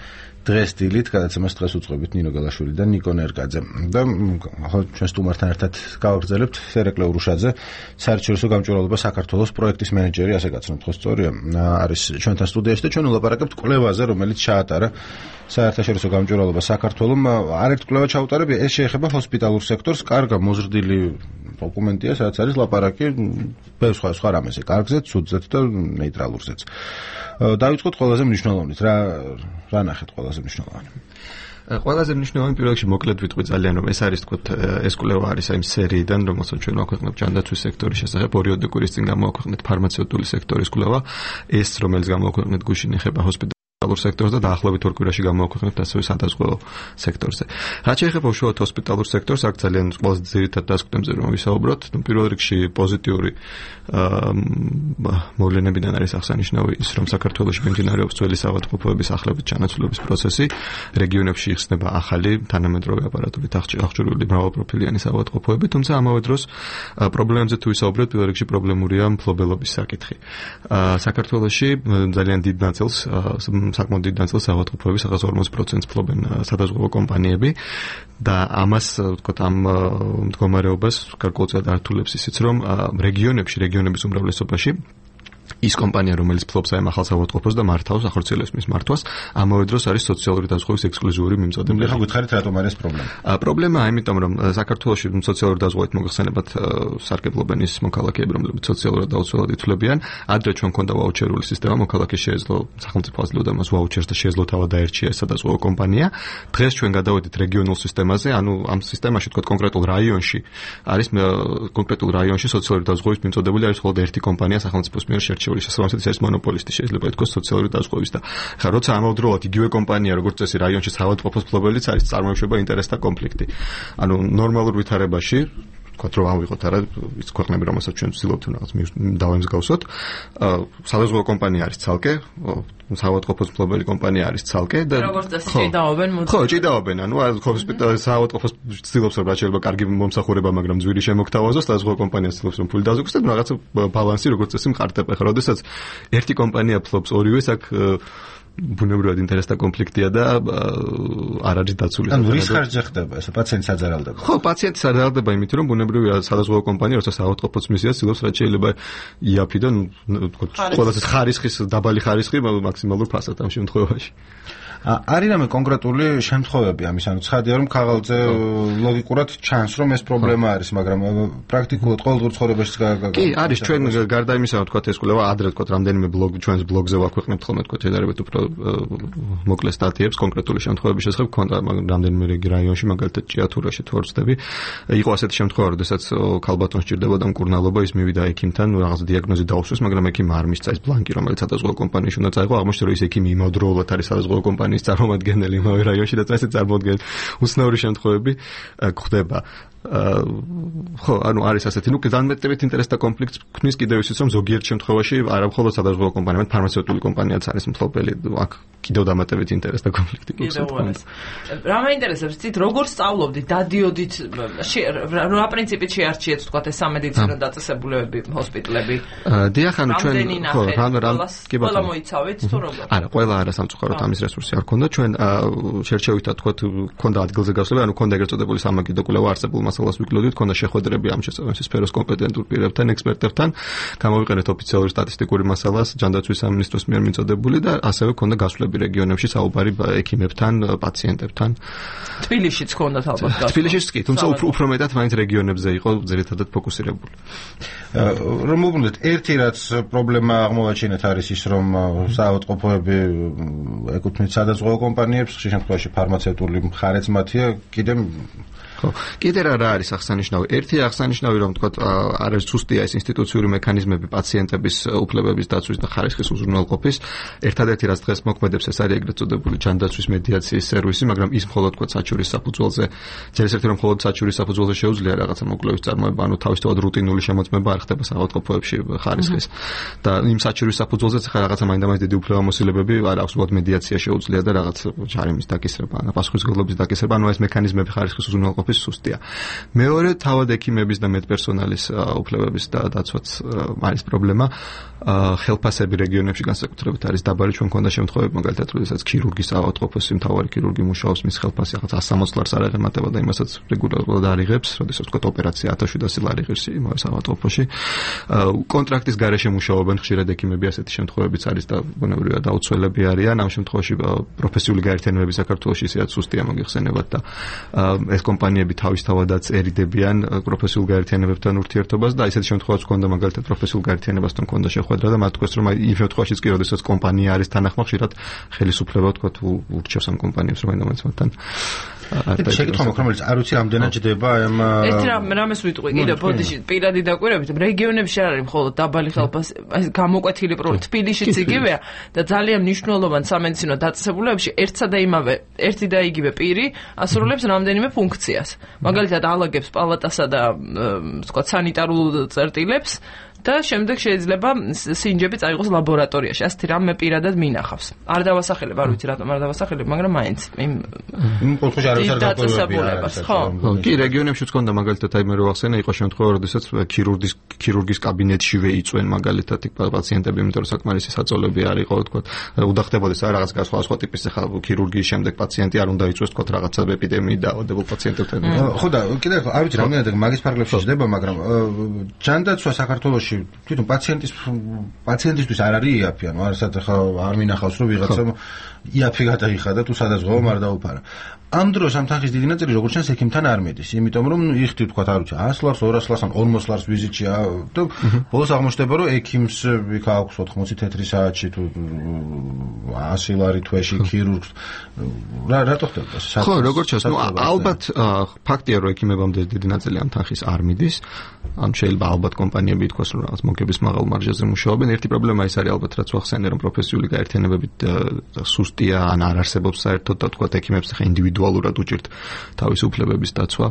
დღეს დილით. გადაცემას დღეს უწყობით ნინო გელაშვილი და ნიკო ნერგაძე. და ახლა ჩვენ სტუმართან ერთად გავაგრძელებთ სერეკლე ურუშაძე, საერთაშორისო გამჭვირვალობა საქართველოს პროექტის მენეჯერი, ასე გაცნობთ, ხო სწორია? არის ჩვენთან სტუდიაში და ჩვენ ვლაპარაკებთ კვლევაზე, რომელიც ჩაატარა საერთაშორისო გამჭვირვალობა საქართველოს. არერთ კვლევა ჩაუტარებია, ეს შეეხება ჰოსპიტალურ სექტორს. კარგა მოზრდილი დოკუმენტია, სადაც არის ლაპარაკი ბევრ სხვა სხვა რამეზე, კარგზეც, ცუდზეც და ნეიტრალურზეც. დავიწყოთ ყველაზე მნიშვნელოვანით. რა რა ნახეთ ყველაზე მნიშვნელოვანი? ყველაზე მნიშვნელოვანი პირველ რიგში მოკლედ ვიტყვი ძალიან, რომ ეს არის თქო ეს კვლევა არის აი სერიიდან, რომელსაც ჩვენ ვაქვეყნებთ ჯანდაცვის სექტორის შესახებ. ორი კვირის წინ გამოვაქვეყნეთ ფარმაცევტული სექტორის კვლევა, ეს რომელიც გამოვაქვეყნეთ გუშინ ეხება ჰოსპიტალურ სექტორს და დაახლოებით ორ კვირაში გამოვაქვეყნებთ ასევე სადაზღვევო სექტორზე. რაც შეეხება უშუალოდ ჰოსპიტალურ სექტორს, აქ ძალიან ყველაზე ძირითად დასკვნებზე რომ ვისაუბროთ, ну პირველ რიგში პოზიტიური მოვლენებიდან არის აღსანიშნავი ის, რომ საქართველოში მიმდინარეობს ძველი საავადმყოფოების ახალების ჩანაცვლების პროცესი, რეგიონებში იხსნება ახალი თანამედროვე აპარატურით აღჭურვილი მრავალპროფილიანი საავადმყოფოები, თუმცა ამავე დროს პრობლემებზე თუ ვისაუბროთ, პირველ რიგში პრობლემურია მფლობელობის საკითხი. საქართველოში ძალიან დიდ ნაწილს საკმაოდ დიდ ნაწილს საავადმყოფოების რაღაც ორმოცი პროცენტს ფლობენ სადაზღვევო კომპანიები და ამას ვთქვათ ამ მდგომარეობას გარკვეულწილად ართულებს ისიც, რომ რეგიონებში, რეგიონების უმრავლესობაში ის კომპანია, რომელიც ფლობს აი ახალ საავადმყოფოს და მართავს, ახორციელებს მის მართვას, ამავე დროს არის სოციალური დაზღვევის ექსკლუზიური მიმწოდებელი. ეხლა გითხარით რატომ არის პრობლემა? პრობლემაა იმიტომ, რომ საქართველოში სოციალური დაზღვევით მოგხსენებათ სარგებლობენ ის მოქალაქეები, რომლებიც სოციალურად დაუცველად ითვლებიან. ადრე ჩვენ მქონდა ვაუჩერული სისტემა, მოქალაქე შეეძლო სახელმწიფო აძლევდა მას ვაუჩერს და შეეძლო თავად დაერჩია ეს სადაზღვევო კომპანია. დღეს ჩვენ გადავედით რეგიონულ სისტემაზე, ანუ ამ სისტემაში თქვა კონკრეტულ რაიონში არის კონკრეტულ რაიონში სოციალური დაზღვევის მიმწოდებელი არის მხოლოდ ერთი კომპანია სახელმწიფოს მიერ შერჩეული, შესაბამისად ის არის მონოპოლისტი, შეიძლება ითქვას სოციალური დაზღვევის და ხა როცა ამავდროულად იგივე კომპანია როგორც წესი რაიონში საავადმყოფოს ფლობელიც არის, წარმოიშვება ინტერესთა კონფლიქტი. ანუ ნორმალურ ვითარებაში ვთქვათ, რომ ავიღოთ არა ის ქვეყნები, რომელსაც ჩვენ ვცდილობთ რაღაც დავემსგავსოთ, სადაზღვევო კომპანია არის ცალკე, საავადმყოფოს ფლობელი კომპანია არის ცალკე და როგორც წესი ჭიდაობენ მოდი. ხო, ჭიდაობენ, ანუ ჰოსპიტალის საავადმყოფოს ცდილობს რომ რაც შეიძლება კარგი მომსახურება, მაგრამ ძვირი შემოგთავაზოს, სადაზღვევო კომპანია ცდილობს რომ ფული დაზოგოს და რაღაცა ბალანსი როგორც წესი მყარდება. ხა, როდესაც ერთი კომპანია ფლობს ორივეს, აქ ბუნებრივად ინტერესთა კონფლიქტია და არ არის დაცული. ანუ რის ხარჯზე ხდება ეს? პაციენტს აძარალდება. ხო, პაციენტს აძარალდება იმით, რომ ბუნებრივია სადაზღვევო კომპანია, როცა საავადმყოფოს მისია, ცდილობს რაც შეიძლება იაფიდან, თქო, ყველაზე ხარისხის, დაბალი ხარისხი მაქსიმალურ ფასად ამ შემთხვევაში. არის რამე კონკრეტული შემთხვევები ამის, ანუ ცხადია რომ ქაღალდზე ლოგიკურად ჩანს რომ ეს პრობლემა არის, მაგრამ პრაქტიკულად ყოველდღიურ ცხოვრებაში კი არის. ჩვენ გარდა იმისა, რომ თქვა ეს კვლევა ადრე თქვა რამდენიმე ბლოგ ჩვენს ბლოგზე ვაქვეყნებთ ხოლმე თქვა შედარებით უფრო მოკლე სტატიებს კონკრეტული შემთხვევების შესახებ, ქონდა რამდენიმე რაიონში, მაგალითად ჭიათურაში თუ არ ვცდები, იყო ასეთი შემთხვევა, როდესაც ქალბატონს სჭირდებოდა მკურნალობა, ის მივიდა ექიმთან, რაღაც დიაგნოზი დაუსვეს, მაგრამ ექიმ არ მისცა ეს ბლანკი, რომელიც სადაზღვევო კომპანიაში უნდა წაიღო, აღმოჩნდა რომ ის ექიმი იმავდროულად არის სადაზღვევო კომპანიის წარმომადგენელი იმავე რაიონში და წესით წარმოადგენს უცნაური შემთხვევები გვხდება. ხო, ანუ არის ასეთი, ნუ განმეტებით ინტერესთა კონფლიქტს ქმნის კიდევ ისიც, რომ ზოგიერთ შემთხვევაში არა მხოლოდ სადაზღვევო კომპანია, არამედ ფარმაცევტული კომპანიაც არის მფლობელი. აქ კიდევ დამატებით ინტერესს და კონფლიქტი გქონდა. რა მაინტერესებს ცით როგორ სწავლობდით, დადიოდით, რა პრინციპით შეარჩიეთ თქვა ეს სამედიცინო დაწესებულებები, ჰოსპიტალები? დიახ, ანუ ჩვენ ხო, რამ რამ კი ბატონო. ყველა მოიცავით თუ როგორ? არა, ყველა არა სამწუხაროდ ამის რესურსი არ ქონდა. ჩვენ შერჩევით თქვა ქონდა ადგილზე გასვლები, ანუ ქონდა ეგრეთ წოდებული სამაგიდო კვლევა არსებულ მასალას ვიკლოდით, ქონდა შეხვედრები ამ შესაბამისი სფეროს კომპეტენტურ პირებთან, ექსპერტებთან, გამოვიყენეთ ოფიციალური სტატისტიკური მასალას ჯანდაცვის სამინისტროს მიერ მიწოდებული და ასევე ქონდა გასვლები რეგიონებში საუბარი ექიმებთან, პაციენტებთან. თბილისშიც ქონდათ ალბათ გასვლა. თბილისშიც კი, თუმცა უფრო მეტად მაინც რეგიონებზე იყო ძირითადად ფოკუსირებული. რომ მოგვიდეთ, ერთი რაც პრობლემა აღმოვაჩინეთ არის ის, რომ საავადმყოფოები ეკუთვნით სადაზღვევო კომპანიებს, ხშირ შემთხვევაში ფარმაცევტული მხარეც მათია, კიდე ხო, კიდე რა არის აღსანიშნავი? ერთი აღსანიშნავი რომ თქვა არის ზუსტია ეს ინსტიტუციური მექანიზმები პაციენტების უფლებების დაცვის და ხარისხის უზრუნველყოფის. ერთადერთი რაც დღეს მოქმედებს ეს არის ეგრეთ წოდებული ჯანდაცვის მედიაციის სერვისი, მაგრამ ის მხოლოდ თქვა საჩურის საფუძველზე, ჯერ ერთი რომ მხოლოდ საჩურის საფუძველზე შეუძლია რაღაცა მოკვლევის წარმოება, ანუ თავისთავად რუტინული შემოწმება არ ხდება საავადმყოფოებში ხარისხის. და იმ საჩურის საფუძველზეც ხა რაღაცა მაინდა-მაინც დიდი უფლებამოსილებები არ აქვს, უბრალოდ მედიაცია შეუძლია და რაღაც ჯარიმის დაკისრება, ან პასუხისმგებლობის დაკისრება, ანუ ეს მექანიზმები ხარისხის უზრუნველყოფის სუსტია. მეორე თავად ექიმების და მედპერსონალის უფლებების და დაცვაც არის პრობლემა. ხელფასები რეგიონებში განსაკუთრებით არის დაბალი. ჩვენ მქონდა შემთხვევები, მაგალითად, როდესაც ქირურგის ავადმყოფოს მთავარი ქირურგი მუშაობს, მის ხელფასი რაღაც ას სამოცდ ლარს არ აღემატება და იმასაც რეგულარულად არიღებს, როდესაც თქვა ოპერაცია ათას შვიდასი ლარი ღირს იმავე ავადმყოფოში. კონტრაქტის გარეშე მუშაობენ ხშირად ექიმები, ასეთი შემთხვევებიც არის და ბუნებრივია დაუცველები არიან. ამ შემთხვევაში პროფესიული გაერთიანებები საქართველოში ისეაც სუსტია მოგიხსენებათ და ეს კომპანიები თავისთავადაც ერიდებიან პროფესიულ გაერთიანებებთან ურთიერთობას და ისეთი შემთხვევაც ჰქონდა მაგალითად პროფესიულ გაერთიანებასთან ჰქონდა შეხვედრა და მათ თქვეს რომ აი იმ შემთხვევაშიც კი როდესაც კომპანია არის თანახმა ხშირად ხელისუფლება თქვა თუ ურჩევს ამ კომპანიებს რომ აინდომაც მათთან შეკითხვა მაქვს რომელიც არ ვიცი რამდენად ჯდება ამ ერთი რამეს ვიტყვი კიდე ბოდიში პირადი დაკვირვებით რეგიონებში არ არის მხოლოდ დაბალი ხელფასი გამოკვეთილი პრობლემა თბილისშიც იგივეა და ძალიან მნიშვნელოვან სამედიცინო დაწესებულებებში ერთსა და იმავე ერთი და იგივე პირი ასრულებს რამდენიმე ფუნქციას მაგალითად ალაგებს პალატასა და თქვა სანიტარულ წერტილებს და შემდეგ შეიძლება სინჯები წაიღოს ლაბორატორიაში. ასეთი რამე პირადად მინახავს. არ დავასახელებ, არ ვიცი რატომ არ დავასახელებ, მაგრამ მაინც იმ იმ პოთოში არ არის დაწესებულებას, ხო? კი, რეგიონებშიც ჰქონდა მაგალითად აი მე რო ახსენე, იყო შემთხვევა, როდესაც ქირურგის ქირურგის კაბინეტშივე იწვენ მაგალითად იქ პაციენტები, იმიტომ რომ საკმარისი საწოლები არ იყო, თქვა, უდახდებოდეს რა რაღაც სხვა სხვა ტიპის ხა ქირურგიის შემდეგ პაციენტი არ უნდა იწვეს, თქვა რაღაცა ეპიდემიით დაავადებულ პაციენტებთან. ხო და კიდე არ ვიცი რამდენად მაგის ფარგლებში ჯდება, მაგრამ ჯანდაცვა საქართველოში თვითონ პაციენტის პაციენტისთვის არ არის იაფი, ანუ არასად ახლა არ მინახავს რომ ვიღაცამ იაფი გადაიხადა თუ სადაზღვევო არ დაუფარა. ამ დროს ამ თანხის დიდი ნაწილი როგორც ჩანს ექიმთან არ მედის, იმიტომ რომ იხდი თქვა არ ვიცი ას ლარს, ორას ლარს ან ორმოც ლარს ვიზიტია და ბოლოს აღმოჩნდება რომ ექიმს იქ აქვს ოთხმოცი თეთრი საათში თუ ასი ლარი თვეში ქირურგს რა რატო ხდება ეს? ხო, როგორც ჩანს, ნუ ალბათ ფაქტია რომ ექიმებამდე დიდი ნაწილი ამ თანხის არ მიდის. ამ შეიძლება ალბათ კომპანიები ითქვას რომ რაღაც მოგების მაღალ მარჟაზე მუშაობენ. ერთი პრობლემა ის არის ალბათ რაც ვახსენე რომ პროფესიული გაერთიანებები სუსტია ან არ არსებობს საერთოდ და თქვა ექიმებს ხა ინდივიდუალურად უჭირთ თავისუფლებების დაცვა,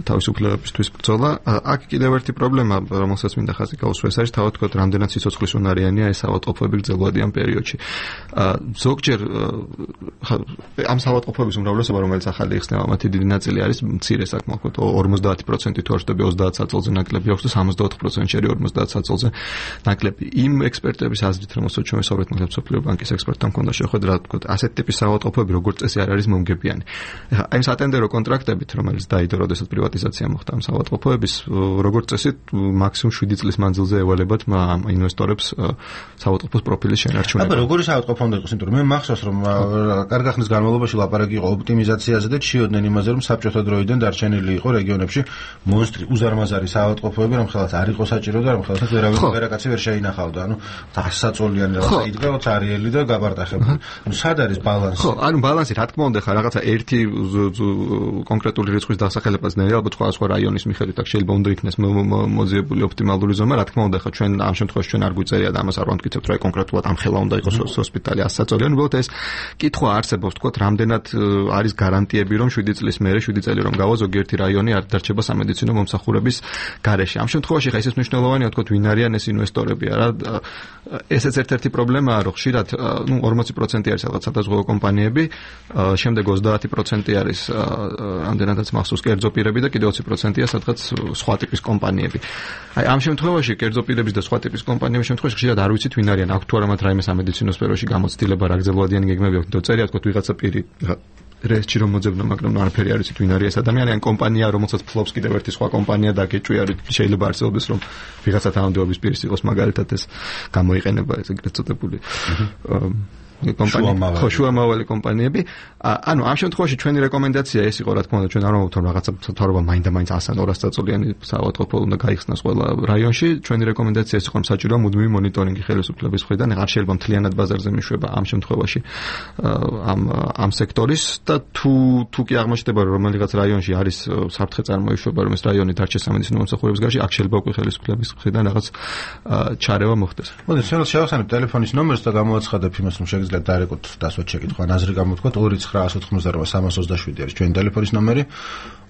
თავისუფლებებისთვის ბრძოლა. აქ კიდევ ერთი პრობლემა, რომელსაც მინდა ხაზი გაუსვა, ეს არის თავად თქვა რამდენად სიცოცხლის უნარიანია ეს ავადმყოფოები გრძელვადიან პერიოდში. ზოგჯერ ამ ავადმყოფოების უმრავლესობა რომელიც ახალი იხსნება, მათი დიდი ნაწილი არის მცირე საკმაოდ ორმოცდაათი პროცენტი თუ არ ვშტები ოცდაათ საწოლზე ნაკლები აქვს და სამოცდაოთხ პროცენტი შერი ორმოცდაათ საწოლზე ნაკლები. იმ ექსპერტების აზრით, რომელსაც ჩვენ ვისაუბრეთ მაგალითად სოფლიო ბანკის ექსპერტთან მქონდა შეხვედრა, თქვა ასეთ ტიპის ავადმყოფოები როგორც წესი არ არის მომგებიანი. ეხლა აი ეს ატენდერო კონტრაქტებით, რომელიც დაიდო, როდესაც პრივატიზაცია მოხდა ამ ავადმყოფოების, როგორც წესი მაქსიმუმ შვიდი წლის მანძილზე ევალებათ ინვესტორებს ავადმყოფოს პროფილის შენარჩუნება. აბა როგორი ავადმყოფო უნდა იყოს, იმიტომ რომ მე მახსოვს რომ კარგი ხნის განმავლობაში ლაპარაკი იყო ოპტიმიზაციაზე და ჩიოდნენ იმაზე რომ საბჭოთა დროიდან დარჩენილი იყო რეგიონებში მონსტრი უზარმაზარი ავადმყოფოები, რომ ხელაც არ იყო საჭირო და რომ ხელაც ვერავინ ვერაკაცი ვერ შეინახავდა. ანუ ასაწოლიანი რაღაცა იდგა ოთარიელი და გაბარტახებული. ანუ სად არის ბალანსი? ხო, ანუ ბალანსი რა თქმა უნდა ხა რაღაცა ერთი კონკრეტული რიცხვის დასახელებაც ნელი ალბათ სხვა სხვა რაიონის მიხედვით აქ შეიძლება უნდა იქნეს მოძიებული ოპტიმალური ზომა. რა თქმა უნდა ხა ჩვენ ამ შემთხვევაში ჩვენ არ გვიწერია და ამას არ ვამტკიცებთ რომ კონკრეტულად ამ ხელა უნდა იყოს ჰოსპიტალი ასაწოლიანი. უბრალოდ ეს კითხვა არსებობს, თქო, რამდენად არის გარანტიები რომ შვიდი წლის მერე შვიდი წელი რომ გავა ზოგიერთი რაიონი არ დარჩება სამედიცინო მომსახურების გარეშე. ამ შემთხვევაში ხა ისიც მნიშვნელოვანია, თქო, ვინ არიან ეს ინვესტორები, არა? ესეც ერთ-ერთი პრობლემაა, რომ ხშირად, ნუ ორმოცი პროცენტი არის რაღაც სადაზღვევო კომპანიები, შემდეგ ოცდაათი პროცენტი არის ამდენადაც მახსოვს კერძო პირები და კიდევ ოცი პროცენტია სადღაც სხვა ტიპის კომპანიები. აი ამ შემთხვევაში კერძო პირების და სხვა ტიპის კომპანიების შემთხვევაში ხშირად არ ვიცით ვინ არიან, აქვს თუ არა მათ რაიმე სამედიცინო სფეროში გამოცდილება, რა გრძელვადიანი გეგმები აქვს, თორე წერია თქო ვიღაცა პირი რესტში რომ მოძებნა, მაგრამ არაფერი არ ვიცით ვინ არის ეს ადამიანი, ან კომპანია, რომელსაც ფლობს კიდევ ერთი სხვა კომპანია და გეჭვი არის, შეიძლება არსებობდეს რომ ვიღაცა თანამდებობის პირის იყოს მაგალითად ეს გამოიყენება ეს ეგრეთ წოდებული კომპანია, ხო შუამავალი კომპანიები. ანუ ამ შემთხვევაში ჩვენი რეკომენდაცია ეს იყო, რა თქმა უნდა, ჩვენ არ ვამბობთ რომ რაღაცა მთავრობა მაინდა მაინც ასან ორას წაწოლიანი საავადმყოფო უნდა გაიხსნას ყველა რაიონში. ჩვენი რეკომენდაცია ეს იყო, რომ საჭიროა მუდმივი მონიტორინგი ხელისუფლების მხრიდან, არ შეიძლება მთლიანად ბაზარზე მიშვება ამ შემთხვევაში ამ ამ სექტორის და თუ თუ კი აღმოჩნდება რომ რომელიღაც რაიონში არის საფრთხე წარმოიშვება, რომ ეს რაიონი დარჩეს სამედიცინო მომსახურების გარშე, აქ შეიძლება უკვე ხელისუფლების მხრიდან რაღაც ჩარევა მოხდეს. მოდი, შეიძლება შევახსენებ ტელეფონის ნომერს და გამოაცხადებ იმას, რომ შეგიძლიათ დაერეკოთ დასვათ შეკითხვა, აზრი გამოთქვათ ორი ცხრა ათოთხმოცდარვა სამას ოცდაშვიდი არის ჩვენი ტელეფონის ნომერი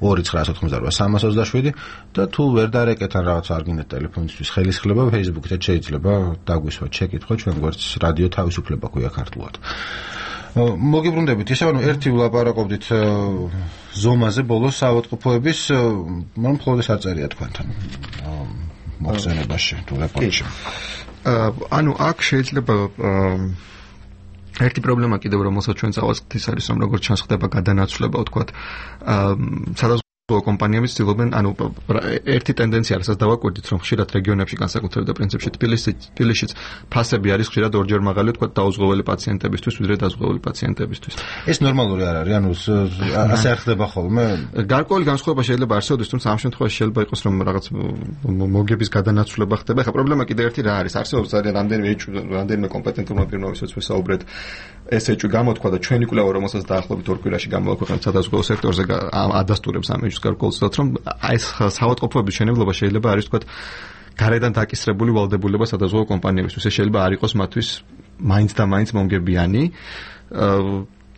ორი ცხრა ათოთხმოცდარვა სამას ოცდაშვიდი და თუ ვერ დაერეკეთ ან რაღაც არ გინდათ ტელეფონისთვის ხელისხლება Facebook-ით შეიძლება დაგვისვათ შეკითხვა ჩვენ გვერდს რადიო თავისუფლება ქვია ქართულად. მოგიბრუნდებით, ისე ანუ ერთი ვლაპარაკობდით ზომაზე ბოლოს საავადმყოფოების, მაგრამ მხოლოდ არ წერია თქვენთან მოხსენებაში თუ რეპორტში. ანუ აქ შეიძლება ერთი პრობლემა კიდევ რომელსაც ჩვენ წავაწყდით ის არის რომ როგორც ჩანს ხდება გადანაცვლება ვთქვათ სადაზღვევო კომპანიები ცდილობენ ანუ ერთი ტენდენცია რასაც დავაკვირდით რომ ხშირად რეგიონებში განსაკუთრებით და პრინციპში თბილისშიც ფასები არის ხშირად ორჯერ მაღალი ვთქვათ დაუზღვეველი პაციენტებისთვის ვიდრე დაზღვეველი პაციენტებისთვის. ეს ნორმალური არ არის, ანუ ასე არ ხდება ხოლმე. გარკვეული განსხვავება შეიძლება არსებობდეს, თუმცა ამ შემთხვევაში შეიძლება იყოს რომ რაღაც მოგების გადანაცვლება ხდება. ეხლა პრობლემა კიდევ ერთი რა არის? არსებობს ძალიან რამდენიმე რამდენიმე კომპეტენტურმა პირმა ვისაც ვესაუბრეთ ეს ეჭვი გამოთქვა და ჩვენი კვლევა რომელსაც დაახლოებით ორ კვირაში გამოვაქვეყნეთ სადაზღვევო სექტორზე ადასტურებს ამ ეჭვს გარკვეულწილად რომ ეს საავადმყოფოების მშენებლობა შეიძლება არის ვთქვათ გარედან დაკისრებული ვალდებულება სადაზღვევო კომპანიებისთვის. ეს შეიძლება არ იყოს მათთვის მაინც და მაინც მომგებიანი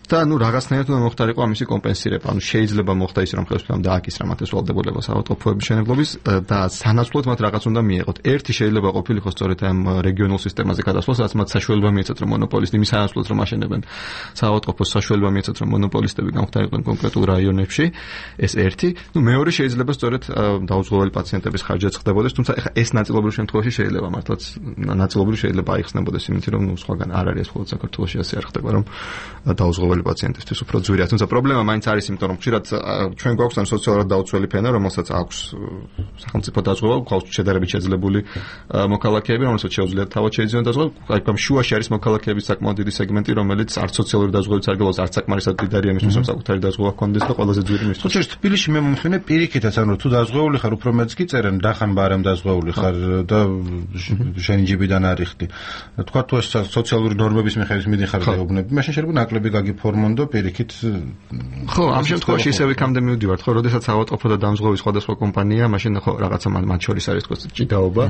და ნუ რაღაცნაირად უნდა მოხდარიყო ამისი კომპენსირება. ანუ შეიძლება მოხდა ის რომ ხელისუფლებამ დააკისრა მათ ეს ვალდებულება საავადმყოფოების მშენებლობის და სანაცვლოდ მათ რაღაც უნდა მიეღოთ. ერთი შეიძლება ყოფილიყო სწორედ ამ რეგიონულ სისტემაზე გადასვლას, რაც მათ საშუალება მიეცათ რომ მონოპოლისტი იმის სანაცვლოდ რომ აშენებენ საავადმყოფოს საშუალება მიეცათ რომ მონოპოლისტები გამხდარიყვნენ კონკრეტულ რაიონებში. ეს ერთი. ნუ მეორე შეიძლება სწორედ დაუზღვეველი პაციენტების ხარჯაც ხდებოდეს, თუმცა ეხა ეს ნაწილობრივ შემთხვევაში შეიძლება მართლაც ნაწილობრივ შეიძლება აიხსნებოდეს იმით რომ ნუ სხვაგან არ არის მხოლოდ საქართველოში ასე არ ხდება რომ დაუზღვეველი პაციენტისთვის უფრო ძვირია. თუმცა პრობლემა მაინც არის, იმიტომ რომ ხშირად ჩვენ გვაქვს ან სოციალურად დაუცველი ფენა, რომელსაც აქვს სახელმწიფო დაზღვევა, გვაქვს შედარებით შეძლებული მოქალაქეები, რომელსაც შეუძლიათ თავად შეიძინონ დაზღვევა. აი ამ შუაში არის მოქალაქეების საკმაოდ დიდი სეგმენტი, რომელიც არც სოციალური დაზღვევით არ გელოს, არც საკმარისად დიდარია მისთვის, რომ საკუთარი დაზღვევა ჰქონდეს და ყველაზე ძვირი მისთვის. თუმცა თბილისში მე მომხსენე პირიქითაც, ანუ თუ დაზღვეული ხარ, უფრო მეც კი წერენ, დახან ბარემ დაზღვეული ხარ და შენი ჯიბიდან არიხდი. თქვა თუ ეს სოციალური ნორმების მიხედვით მიდიხარ დაუბნები, მაშინ შეიძლება ნაკლები გაგიფო ფორმონდო პირიქით ხო ამ შემთხვევაში ისევ იქამდე მივდივართ ხო როდესაც ავადმყოფო და დამზღვევი სხვადასხვა კომპანია მაშინ ხო რაღაცა მათ შორის არის თქო ჭიდაობა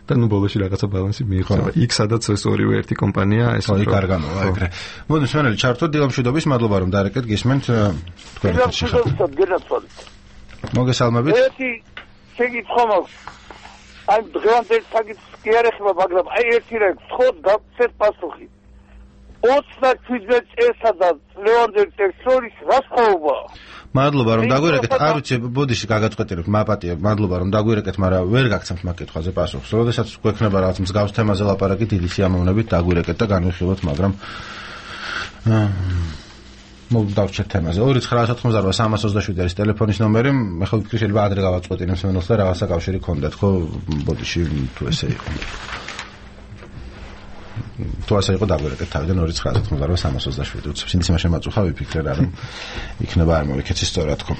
და ნუ ბოლოში რაღაცა ბალანსი მიიღება იქ სადაც ეს ორივე ერთი კომპანია ეს ხო იქ არ გამოვა ეგრე მოდი სვენელი ჩართო დილამშვიდობის მადლობა რომ დარეკეთ გისმენთ თქვენ ერთად შეხებთ მოგესალმებით ერთი შეგიცხო მაქვს აი დღევანდელ საკითხს კი არ ეხება მაგრამ აი ერთი რა ხო გაგცეთ პასუხი ოცდაშვიდმეტ წელსა და ლევანდელ წელს შორის რა სხვაობა? მადლობა რომ დაგვირეკეთ. არ ვიცი, ბოდიში გაგაწყვეტილებ, მაპატია. მადლობა რომ დაგვირეკეთ, მაგრამ ვერ გაგცემთ მაგ კითხვაზე პასუხს. როდესაც გვექნება რაღაც მსგავს თემაზე ლაპარაკი, დიდი სიამოვნებით დაგვირეკეთ და განვიხილოთ, მაგრამ მოგდავჩეთ თემაზე. ორი ცხრა ათოთხმოცდარვა სამას ოცდაშვიდი არის ტელეფონის ნომერი. მე ხო ვფიქრე შეიძლება ადრე გავაწყვეტინებ სვენელს და რაღაცა კავშირი ქონდეთ, ხო? ბოდიში თუ ესე იყო. თუ ასე იყო დაგვერეკეთ თავიდან ორი ცხრა ათოთხმოცდარვა სამას ოცდაშვიდი უცებ სინდ იმას შემაწუხა ვიფიქრე რა რომ იქნება არ მოვიქეცი სწორად თქო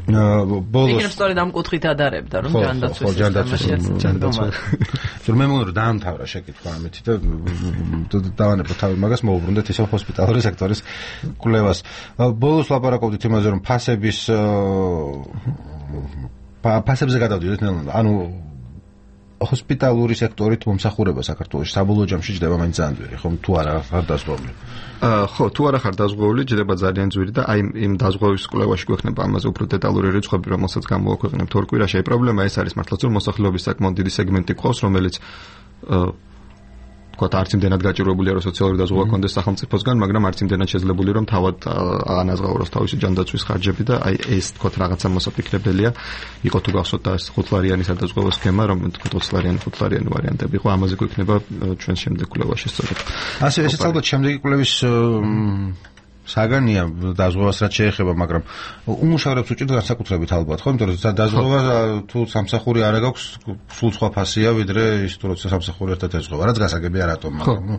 ბოლოს იქნებ სწორედ ამ კუთხით ადარებდა რომ ჯანდაცვის ხო ჯანდაცვის ჯანდაცვის მე მგონი რომ დაამთავრა შეკითხვა ამეთი და დავანებო თავი მაგას მოუბრუნდეთ ისევ ჰოსპიტალური სექტორის კვლევას ბოლოს ლაპარაკობდით იმაზე რომ ფასების ფასებზე გადავდივართ ანუ ჰოსპიტალური სექტორით მომსახურება საქართველოში საბოლოო ჯამში ჯდება მაინც ძალიან ძვირი, ხომ თუ არა ხარ დაზღვეული? ხო, თუ არა ხარ დაზღვეული, ჯდება ძალიან ძვირი და აი იმ დაზღვევის კვლევაში გვექნება ამაზე უფრო დეტალური რიცხვები, რომელსაც გამოვაქვეყნებთ ორ კვირაში. აი პრობლემა ეს არის მართლაც რომ მოსახლეობის საკმაოდ დიდი სეგმენტი ყავს, რომელიც თქვა არც იმდენად გაჭირვებულია რომ სოციალური დაზღვევა კონდეს სახელმწიფოსგან, მაგრამ არც იმდენად შეძლებული რომ თავად ანაზღაუროს თავისი ჯანდაცვის ხარჯები და აი ეს თქვა რაღაცა მოსაფიქრებელია იყო თუ გახსოვთ და ხუთლარიანი სადაზღვევო სქემა, რომ თქვა ოცლარიანი ხუთლარიანი ვარიანტები იყო, ამაზე გვექნება ჩვენ შემდეგ კვლევაში სწორედ. ასე ესეც ალბათ შემდეგი კვლევის საგანია დაზღვევას რაც შეეხება, მაგრამ უმუშავრებს უჭირთ განსაკუთრებით ალბათ, ხო? იმიტომ რომ დაზღვევა თუ სამსახური არ აქვს, სულ სხვა ფასია, ვიდრე ის თუ როცა სამსახური ერთად ეძღვევა. რაც გასაგებია რატომ, მაგრამ ნუ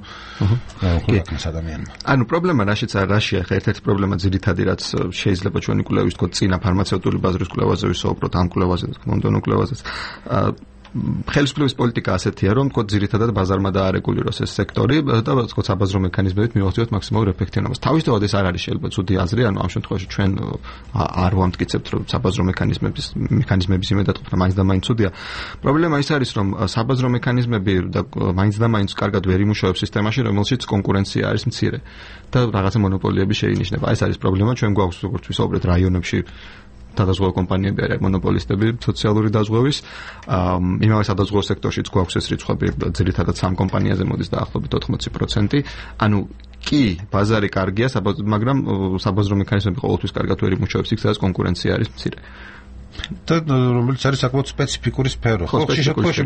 ქვეყნის ადამიანმა. ანუ პრობლემა რაშიც არ რაშია, ხა ერთ-ერთი პრობლემა ძირითადი რაც შეიძლება ჩვენი კვლევის თქო წინა ფარმაცევტული ბაზრის კვლევაზე ვისაუბროთ, ამ კვლევაზე, მომდევნო კვლევაზეც. ხელისუფლების პოლიტიკა ასეთია, რომ თქო ძირითადად ბაზარმა დაარეგულიროს ეს სექტორი და თქო საბაზრო მექანიზმებით მივახციოთ მაქსიმალურ ეფექტიანობას. თავისთავად ეს არ არის შეიძლება ცუდი აზრი, ანუ ამ შემთხვევაში ჩვენ არ ვამტკიცებთ, რომ საბაზრო მექანიზმების მექანიზმების იმედად ყოფნა მაინც და მაინც ცუდია. პრობლემა ის არის, რომ საბაზრო მექანიზმები და მაინც და მაინც კარგად ვერ იმუშავებს სისტემაში, რომელშიც კონკურენცია არის მცირე და რაღაცა მონოპოლიები შეინიშნება. ეს არის პრობლემა, ჩვენ გვაქვს როგორც ვისაუბრეთ რაიონებში სადაზღვევო კომპანიები არიან მონოპოლისტები სოციალური დაზღვევის. იმავე სადაზღვევო სექტორშიც გვაქვს ეს რიცხვები ძირითადად სამ კომპანიაზე მოდის დაახლოებით ოთხმოცი პროცენტი. ანუ კი, ბაზარი კარგია, მაგრამ საბაზრო მექანიზმები ყოველთვის კარგად ვერ იმუშავებს იქ, სადაც კონკურენცია არის მცირე. და რომელიც არის საკმაოდ სპეციფიკური სფერო. ხო, შეშეთქვაში